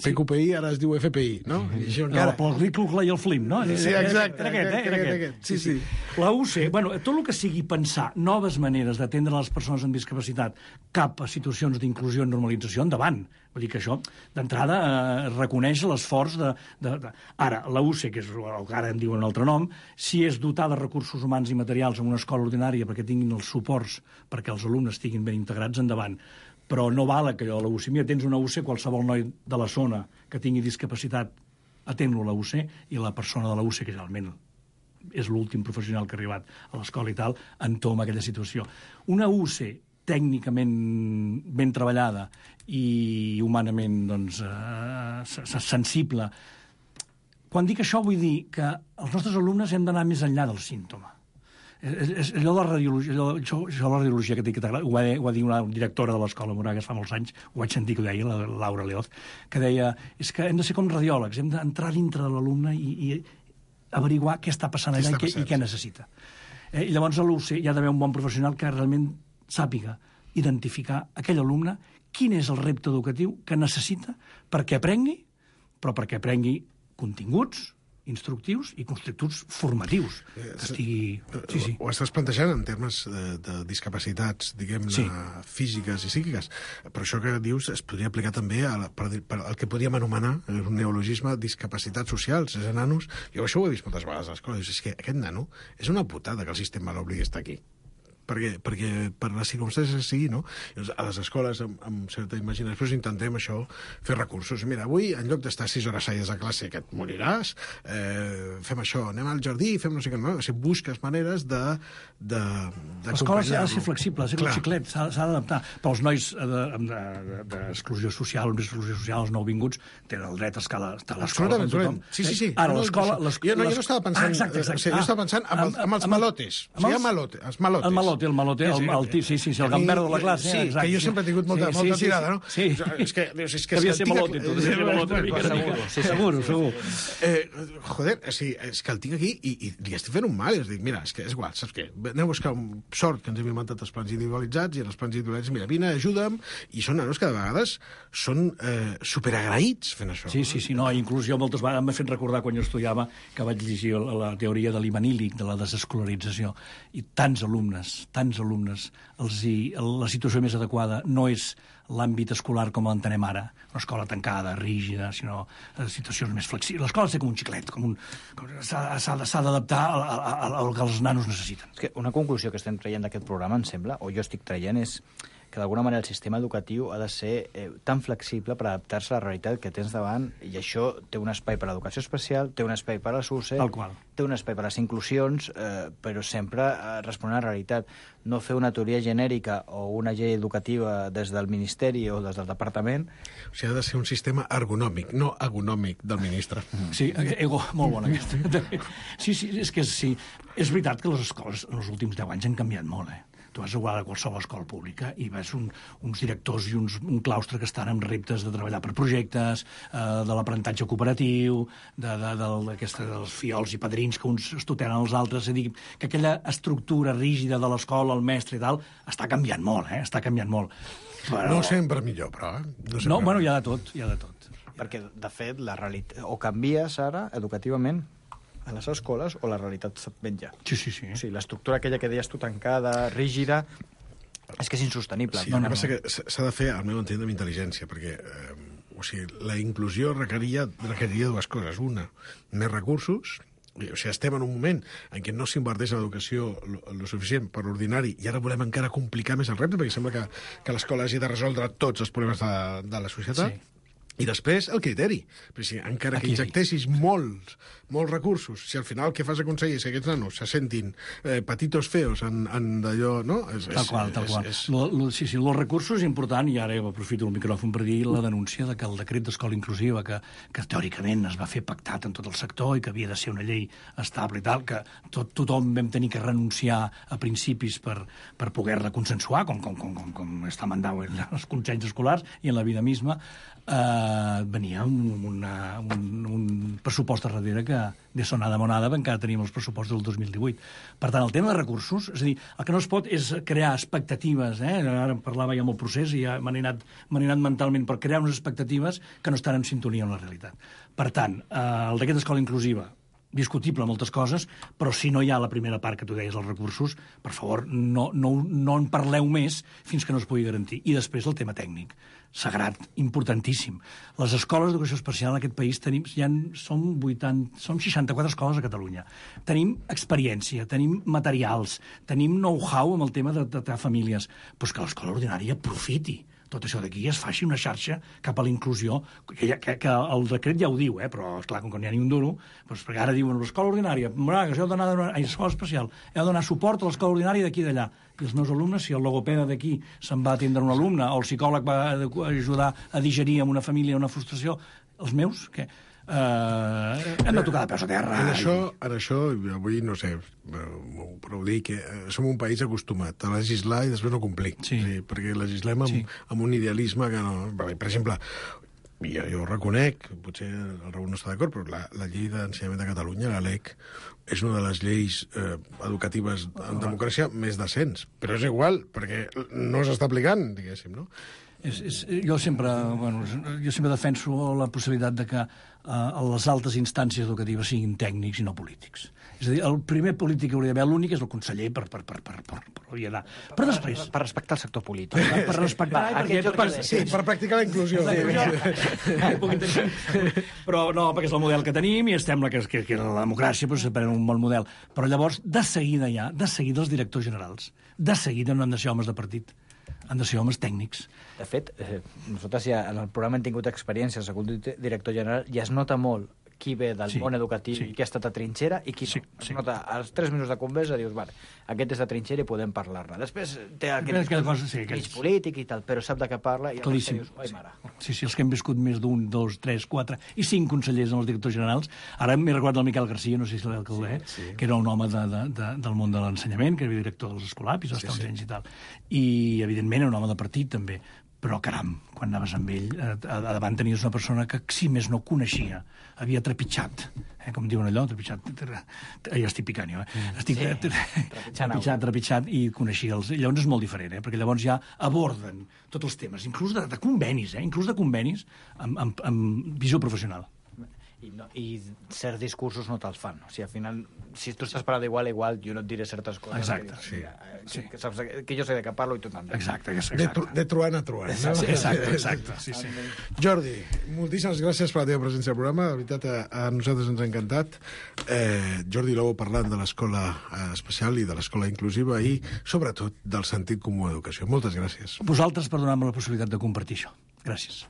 PQPI, ara es diu FPI, no? El Riclucla i el Flim, no? Sí, exacte. Era aquest. Sí. La UC, tot el que sigui pensar noves maneres d'atendre les persones amb discapacitat cap a situacions d'inclusió i normalització, endavant. Vull dir que això, d'entrada, reconeix l'esforç de... Ara, la UC, que és el que ara en diuen un altre nom, si és dotar de recursos humans i materials en una escola ordinària perquè tinguin els suports perquè els alumnes estiguin ben integrats, endavant. Però no val que a la UC, mira, tens una UC, qualsevol noi de la zona que tingui discapacitat, atén-lo a la UC, i la persona de la UC, que realment és l'últim professional que ha arribat a l'escola i tal, entoma aquella situació. Una UC tècnicament ben treballada i humanament sensible. Quan dic això vull dir que els nostres alumnes hem d'anar més enllà del símptoma. És allò de la radiologia, la radiologia que ho va dir una directora de l'escola Moragas fa molts anys, ho vaig sentir que ho deia, la Laura Leoz, que deia, és que hem de ser com radiòlegs, hem d'entrar dintre de l'alumne i averiguar què està passant allà i què necessita. I llavors a l'UC hi ha d'haver un bon professional que realment sàpiga identificar aquell alumne quin és el repte educatiu que necessita perquè aprengui, però perquè aprengui continguts instructius i constructius formatius. Sí. Ho estàs plantejant en termes de discapacitats, diguem-ne, físiques i psíquiques, però això que dius es podria aplicar també al que podríem anomenar, un neologisme, discapacitats socials, és nanos. Jo això ho he vist moltes vegades a l'escola, és que aquest nano és una putada que el sistema l'obligui a estar aquí. perquè per les circumstàncies que sigui, no? A les escoles, amb certa imaginació, intentem això, fer recursos. Mira, avui, en lloc d'estar 6 hores seguides a classe, que et moriràs, fem això, anem al jardí, fem no sé què, no? O sigui, busques maneres l'escola s'ha de ser flexible, ha de ser com xiclet, s'ha d'adaptar. Però els nois d'exclusió social, els nouvinguts, tenen el dret a estar a l'escola com tothom. Sí. Ara, l'escola... Jo no estava pensant... Exacte. Jo estava pensant amb els malotes. O sigui, els malotes. El malote, el gambero de la classe. Sí, que jo sempre he tingut molta tirada, no? Sí. És que devia ser malote, tu. Seguro. Joder, és que el tinc aquí i li estic fent un mal. És dir, mira, és igual, saps què? Anem a buscar un sort que ens hem inventat els plans individualitzats i en els plans individualitzats, mira, vine, ajuda'm, i són nanos que de vegades són superagraïts fent això. Sí, no, inclús jo moltes vegades m'he fet recordar quan jo estudiava que vaig llegir la teoria de l'Ivanílic, de la desescolarització, i tants alumnes, la situació més adequada no és l'àmbit escolar com l'entenem ara, una escola tancada, rígida, sinó situacions més flexibles. L'escola ha de ser com un xiclet, s'ha d'adaptar al que els nanos necessiten. És que una conclusió que estem traient d'aquest programa, em sembla, o jo estic traient, és que d'alguna manera el sistema educatiu ha de ser tan flexible per adaptar-se a la realitat que tens davant, i això té un espai per a l'educació especial, té un espai per a la SUSE, té un espai per a les inclusions, però sempre responent a la realitat. No fer una teoria genèrica o una llei educativa des del Ministeri o des del Departament. O sigui, ha de ser un sistema ergonòmic, no agonòmic del ministre. Sí, molt bona aquesta. Sí, és que sí. És veritat que les escoles en els últims 10 anys han canviat molt, Tu vas a qualsevol escola pública i veus uns directors i un claustre que estan amb reptes de treballar per projectes, de l'aprenentatge cooperatiu, dels fiols i padrins que uns es tutelen els altres. És a dir, que aquella estructura rígida de l'escola, el mestre i tal, està canviant molt, està canviant molt. Però... No sempre millor, però. No, bueno, hi ha de tot. Perquè, de fet, la realitat... O canvies ara, educativament, a les escoles, o la realitat se't menja. Sí. O sigui, l'estructura aquella que deies tu tancada, rígida, és que és insostenible. Sí, el que passa que s'ha de fer, al meu entendre, amb intel·ligència, perquè la inclusió requeriria dues coses. Una, més recursos. O sigui, estem en un moment en què no s'inverteix en l'educació lo suficient per l'ordinari i ara volem encara complicar més el repte, perquè sembla que l'escola hagi de resoldre tots els problemes de la societat. Sí. I després, el criteri. Perquè si encara que injectessis molts recursos, si al final el que fas aconseguir és que aquests nanos se sentin petitos feos en d'allò, no? Tal qual. Sí, els recursos és important, i ara aprofito el micròfon per dir la denúncia de que el decret d'escola inclusiva, que teòricament es va fer pactat en tot el sector i que havia de ser una llei estable i tal, que tothom vam tenir que renunciar a principis per poder-la consensuar, com està mandat en els consells escolars i en la vida misma, venia un pressupost darrere que de sonada monada encara tenim els pressupostos del 2018. Per tant, el tema de recursos, és a dir, el que no es pot és crear expectatives, ara parlava ja amb el procés i ja m'han anat mentalment per crear unes expectatives que no estan en sintonia amb la realitat. Per tant, el decret d'escola inclusiva, discutible moltes coses, però si no hi ha la primera part que tu deies, els recursos, per favor, no en parleu més fins que no es pugui garantir. I després el tema tècnic, sagrat, importantíssim. Les escoles d'educació especial en aquest país som 64 escoles a Catalunya. Tenim experiència, tenim materials, tenim know-how amb el tema de tractar famílies, però és que l'escola ordinària aprofiti tot això d'aquí i es faci una xarxa cap a la inclusió, que el decret ja ho diu, però, esclar, com que n'hi ha ni un duro, doncs, perquè ara diuen l'escola ordinària, l'escola especial, heu de donar suport a l'escola ordinària d'aquí i d'allà. I els meus alumnes, si el logopeda d'aquí se'n va atendre un alumne, o el psicòleg va ajudar a digerir amb una família una frustració, els meus, què? Hem de tocar de peus a terra. En això, avui, no sé, però ho dic, som un país acostumat a legislar i després no complir. Sí. Perquè legislem amb un idealisme que no... Per exemple, jo reconec, potser el Raül no està d'acord, però la llei d'ensenyament de Catalunya, la LEC, és una de les lleis educatives en democràcia més decents. Però és igual, perquè no s'està aplicant, diguéssim, no? Jo sempre defenso la possibilitat de que les altes instàncies educatives siguin tècnics i no polítics. És a dir, el primer polític que hauria d'haver, l'únic, és el conseller per hauria d'anar. Però després... Per respectar el sector polític. Per respectar... Sí, per practicar la inclusió. Però no, perquè és el model que tenim i estem que la democràcia doncs, separem un bon model. Però llavors, de seguida els directors generals, de seguida no han de ser homes de partit, han de ser homes tècnics. De fet, nosaltres ja en el programa hem tingut experiència, el segon director general, i es nota molt qui ve del món educatiu i qui ha estat a trinxera i qui no. Es nota, als 3 minuts de conversa dius, vale, aquest és de trinxera i podem parlar-ne. Després té aquest mig polític i tal, però sap de què parla i llavors dius, oi mare. Sí, els que hem viscut més d'1, 2, 3, 4 i 5 consellers en els directors generals. Ara m'he recordat el Miquel Garcia, no sé si l'alcalde, que era un home del món de l'ensenyament, que era director dels escolapis, als anys i tal. I, evidentment, era un home de partit, també. Però, caram, quan anaves amb ell, a davant tenies una persona que, si més no coneixia, havia trepitjat, com diuen allò, trepitjat, ja estic picant jo, estic trepitjat i coneixia els... Llavors és molt diferent, perquè llavors ja aborden tots els temes, inclús de convenis, amb visió professional. I certs discursos no te'ls fan. O sigui, al final, si tu estàs parlant d'igual a igual, jo no et diré certes coses. Exacte, que saps que jo sé de què parlo i tu també. Exacte. De truant a truant. Exacte. Jordi, moltíssimes gràcies per la teva presència al programa. De veritat, a nosaltres ens ha encantat. Jordi Lobo parlant de l'escola especial i de l'escola inclusiva i, sobretot, del sentit comú a l'educació. Moltes gràcies. Vosaltres per donar-me la possibilitat de compartir això. Gràcies.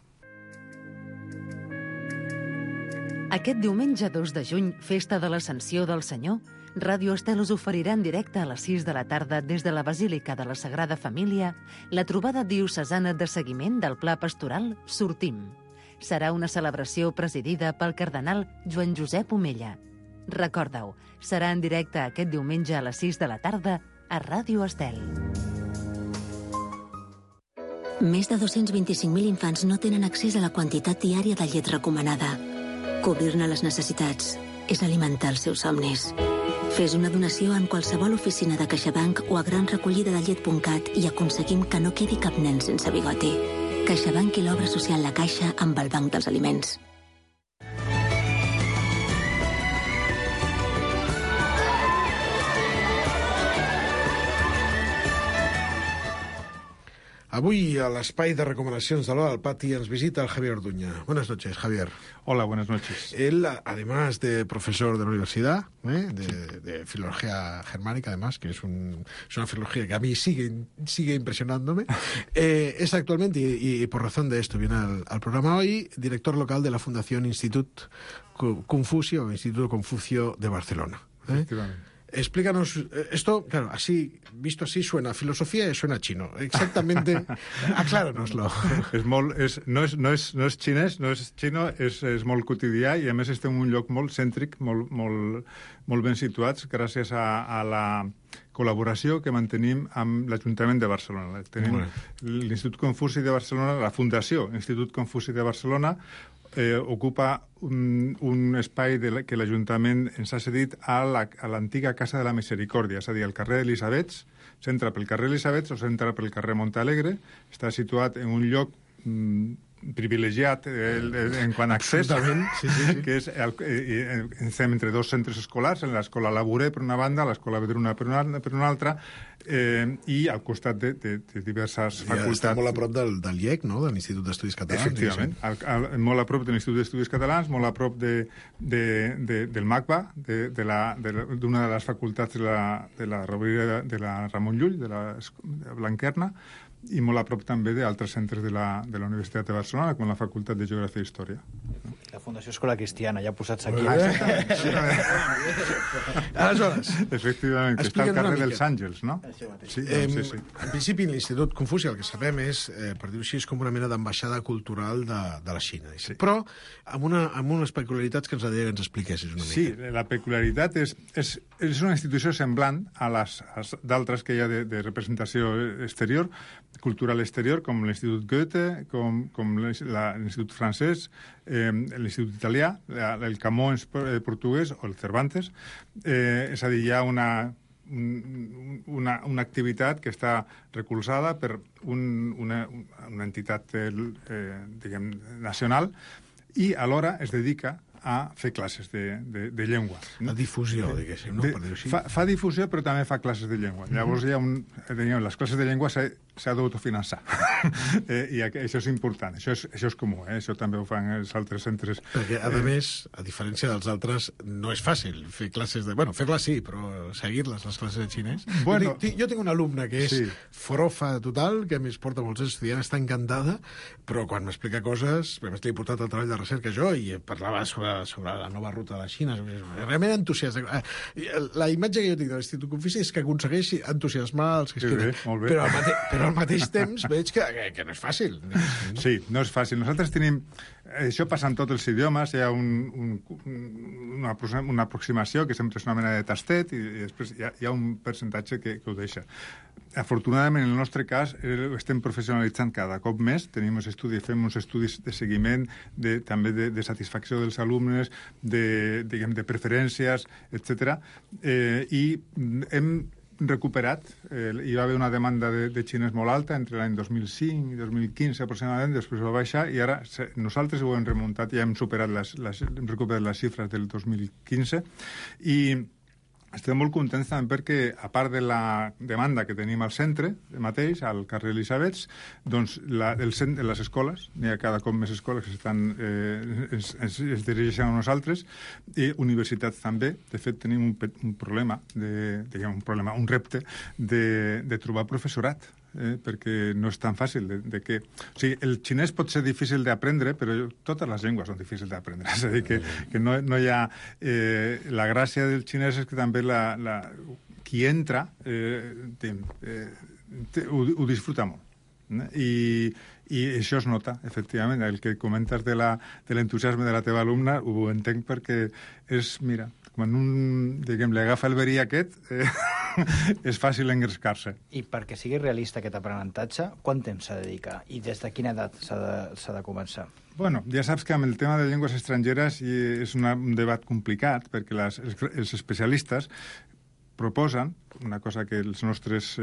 Aquest diumenge 2 de juny, festa de l'Ascensió del Senyor, Ràdio Estel us oferirà en directe a les 6 de la tarda des de la Basílica de la Sagrada Família la trobada diocesana de seguiment del Pla Pastoral Sortim. Serà una celebració presidida pel cardenal Joan Josep Omella. Recorda-ho, serà en directe aquest diumenge a les 6 de la tarda a Ràdio Estel. Més de 225.000 infants no tenen accés a la quantitat diària de llet recomanada. Cobrir-ne les necessitats és alimentar els seus somnis. Fes una donació en qualsevol oficina de CaixaBank o a granrecollidadellet.cat i aconseguim que no quedi cap nen sense bigoti. CaixaBank i l'obra social La Caixa amb el Banc dels Aliments. Avui, a l'espai de recomanacions de l'Hora del Pati, ens visita el Javier Orduña. Buenas noches, Javier. Hola, buenas noches. Él, además de profesor de la universidad, de filología germánica, además, que es una filología que a mí sigue impresionándome, es actualmente, y por razón de esto viene al programa hoy, director local de la Fundación Instituto Confucio de Barcelona. Efectivamente. Explícanos, esto, claro, así, visto así, suena a filosofía y suena a chino. Exactamente, acláranoslo. No és xinès, no és xino, és molt quotidià i a més estem en un lloc molt cèntric, molt ben situats gràcies a la col·laboració que mantenim amb l'Ajuntament de Barcelona. Tenim l'Institut Confuci de Barcelona, la Fundació Institut Confuci de Barcelona, ocupa un espai que l'Ajuntament ens ha cedit a l'antiga Casa de la Misericòrdia, és a dir, el carrer Elisabets, s'entra pel carrer Elisabets o s'entra pel carrer Montalegre, està situat en un lloc privilegiat en quant a accés, que és estem entre dos centres escolars, en l'escola Laborer per una banda, l'escola Vedruna per una altra, i al costat de diverses facultats. Està molt a prop del IEC, no?, de l'Institut d'Estudis Catalans. Efectivament, molt a prop de l'Institut d'Estudis Catalans, molt a prop del MACBA, d'una de les facultats de la Rovira de la Ramon Llull, de la Blanquerna, i molt a prop també d'altres centres de la Universitat de Barcelona, com la Facultat de Geografia i Història. La Fundació Escola Cristiana, ja posats aquí. Aleshores... Efectivament, que està al carrer dels Àngels, no? Sí. En principi, l'Institut Confuci, el que sabem és, per dir-ho així, és com una mena d'ambaixada cultural de la Xina. Sí. Però amb unes peculiaritats que ens agradaria que ens expliquessis una mica. Sí, la peculiaritat és una institució semblant a les d'altres que hi ha de representació exterior, cultural exterior, com l'Institut Goethe, com l'Institut francès, l'Institut italià, el Camões portuguès o el Cervantes. És a dir, hi ha una activitat que està recolzada per una entitat diguem, nacional i alhora es dedica a fer classes de llengua. La difusió, diguéssim, no? Per dir-ho així. Fa difusió, però també fa classes de llengua. Llavors, les classes de llengua s'ha d'autofinançar. I això és important, això és comú, això també ho fan els altres centres. Perquè, a més, a diferència dels altres, no és fàcil fer classes de... Bueno, fer-les sí, però seguir-les, les classes de xinès. Bueno, jo tinc una alumna que és forofa total, que a més porta molts estudiants, està encantada, però quan m'explica coses, a més l'he portat al treball de recerca jo, i parlava sobre la nova ruta de la Xina, realment entusiasta. La imatge que jo tinc de l'Institut Confuci és que aconsegueix entusiasmar els que es queden. Però al mateix temps veig que no és fàcil. Sí, no és fàcil. Nosaltres tenim... Això passa en tots els idiomes, hi ha una aproximació que sempre és una mena de tastet i després hi ha un percentatge que ho deixa. Afortunadament, en el nostre cas, estem professionalitzant cada cop més, fem uns estudis de seguiment, també de satisfacció dels alumnes, de preferències, etc. I hem recuperat, hi va haver una demanda de xinès molt alta entre l'any 2005 i 2015 aproximadament, després va baixar i ara nosaltres ho hem remuntat i hem recuperat les xifres del 2015 i estem molt contents també perquè, a part de la demanda que tenim al centre mateix, al carrer Elisabets, doncs les escoles, n'hi ha cada cop més escoles que es dirigeixen a nosaltres, i universitats també. De fet, tenim un problema, un repte de trobar professorat, perquè no és tan fàcil o sigui, el xinès pot ser difícil d'aprendre, però totes les llengües són difícils d'aprendre. És a dir, que no hi ha... la gràcia del xinès és que també qui entra ho disfruta molt. I això es nota, efectivament. El que comentes de l'entusiasme de la teva alumna ho entenc perquè és, mira, quan li agafa el verí aquest, és fàcil engrescar-se. I perquè sigui realista aquest aprenentatge, quant temps s'ha de dedicar? I des de quina edat s'ha de començar? Bueno, ja saps que amb el tema de llengües estrangeres és un debat complicat, perquè els especialistes proposen una cosa que els nostres,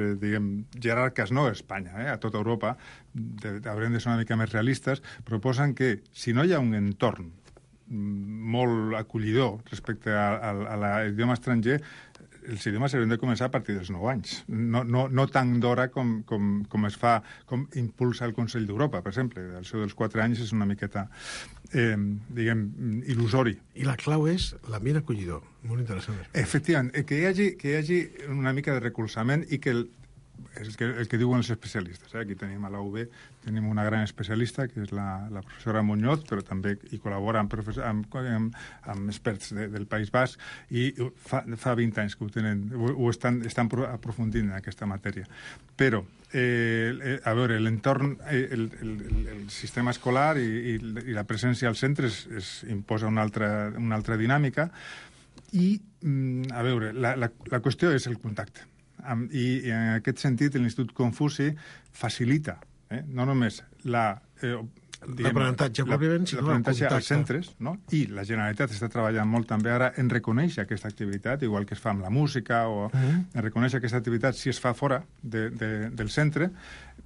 jerarques, no a Espanya, a tota Europa, haurem de ser una mica més realistes, proposen que si no hi ha un entorn molt acollidor respecte a l'idioma estranger, els idiomes s'haurien de començar a partir dels 9 anys. No tan d'hora com es fa, com impulsa el Consell d'Europa, per exemple. El seu dels 4 anys és una miqueta, il·lusori. I la clau és l'ambient acollidor. Molt interessant. Efectivament, que hi hagi una mica de recolzament i que el que diuen els especialistes. Aquí tenim a la UB, tenim una gran especialista, que és la professora Muñoz, però també hi col·labora amb experts del País Basc, i fa 20 anys que estan aprofundint en aquesta matèria. Però, a veure, l'entorn, el sistema escolar i la presència als centres imposa una altra dinàmica, i, a veure, la qüestió és el contacte. I en aquest sentit l'Institut Confuci facilita no només l'aprenentatge pròpiament, sinó l'aprenentatge als centres, no? I la Generalitat està treballant molt també ara en reconèixer aquesta activitat, igual que es fa amb la música, o en reconèixer aquesta activitat si es fa fora del centre,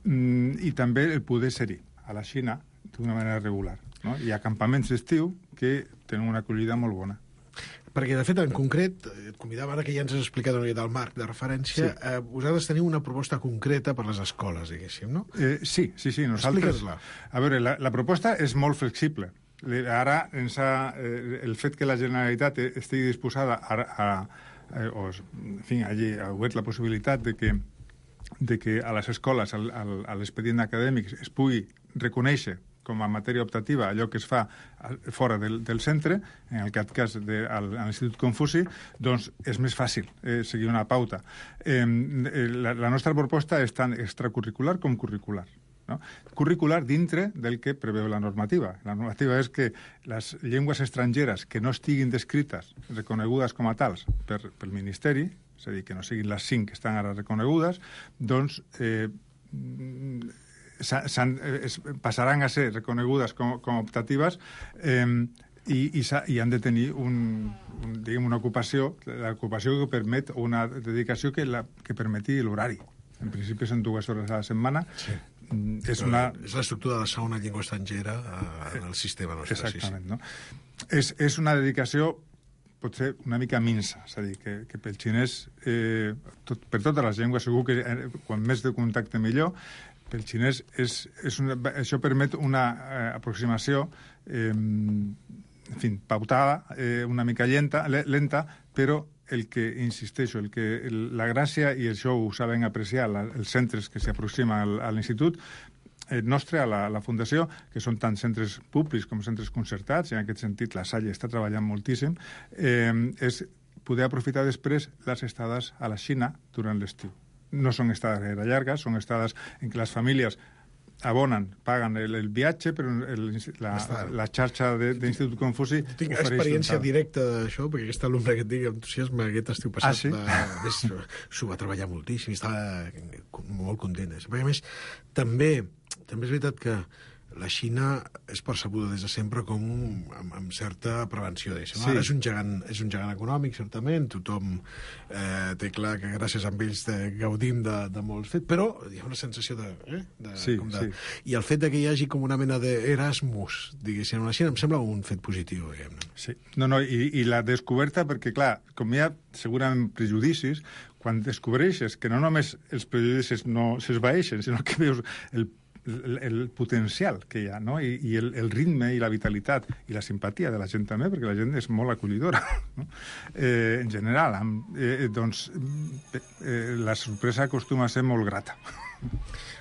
i també el poder ser-hi a la Xina d'una manera regular. No? Hi ha campaments d'estiu que tenen una acollida molt bona. Perquè, de fet, en concret, et convidava ara que ja ens has explicat una mica del marc de referència, vosaltres teniu una proposta concreta per les escoles, diguéssim, no? Sí, nosaltres... Explica-la. A veure, la proposta és molt flexible. Ara, el fet que la Generalitat estigui disposada allí ha obert la possibilitat de que a les escoles, a l'expedient acadèmic, es pugui reconèixer com a matèria optativa allò que es fa fora del centre, en aquest cas a l'Institut Confuci, doncs és més fàcil seguir una pauta. La nostra proposta és tant extracurricular com curricular. No? Curricular dintre del que preveu la normativa. La normativa és que les llengües estrangeres que no estiguin descrites, reconegudes com a tals pel Ministeri, és a dir, que no siguin les 5 que estan ara reconegudes, doncs passaran a ser reconegudes com a optatives i han de tenir una ocupació, l'ocupació que permet una dedicació que permeti l'horari. En principi són 2 hores a la setmana, és una... És l'estructura de la segona llengua estrangera en el sistema nostre. Exactament, no? És una dedicació potser una mica minsa, és a dir, que pel xinès, per totes les llengües, segur que quan més de contacte millor, pel xinès això permet una aproximació en fi, pautada, una mica lenta, però insisteixo, la gràcia, i això ho saben apreciar els centres que s'aproximen a l'institut nostre, a la Fundació, que són tant centres públics com centres concertats, i en aquest sentit la Salle està treballant moltíssim, és poder aprofitar després les estades a la Xina durant l'estiu. No són estades gaire llargues, són estades en què les famílies abonen, paguen el viatge, però la xarxa d'Institut Confuci tinc experiència directa d'això, perquè aquest alumne que et dic entusiasme aquest estiu passat s'ho va treballar moltíssim i estava molt content. Perquè a més, també és veritat que la Xina és percebuda des de sempre com amb certa prevenció d'això. Ara és un gegant econòmic, certament, tothom té clar que gràcies a ells gaudim de molts fets, però hi ha una sensació I el fet que hi hagi com una mena d'Erasmus, diguéssim, a la Xina, em sembla un fet positiu, diguem-ne. Sí, i la descoberta, perquè, clar, com hi ha segurament prejudicis, quan descobreixes que no només els prejudicis no s'esvaeixen, sinó que veus el potencial que hi ha, no? I el ritme i la vitalitat i la simpatia de la gent també, perquè la gent és molt acollidora, no? En general, doncs la sorpresa acostuma a ser molt grata.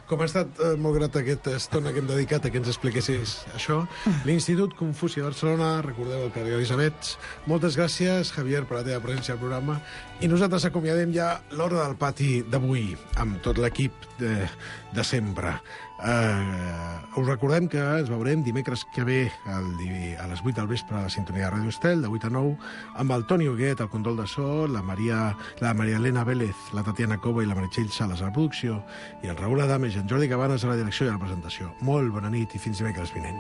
Com ha estat molt grat aquesta estona que hem dedicat a que ens expliquessis això. L'Institut Confuci de Barcelona, recordeu el carrer Elisabets. Moltes gràcies, Javier, per la teva presència al programa. I nosaltres acomiadem ja l'hora del pati d'avui, amb tot l'equip de sempre. Us recordem que ens veurem dimecres que ve a les 8 del vespre a la sintonia de Ràdio Estel, de 8 a 9, amb el Toni Huguet, el control de so, la Maria Elena Vélez, la Tatiana Cova i la Meritxell Sales a la producció, i el Raül Adames i en Jordi Cabanes a la direcció i a la presentació. Molt bona nit i fins dimecres vinent.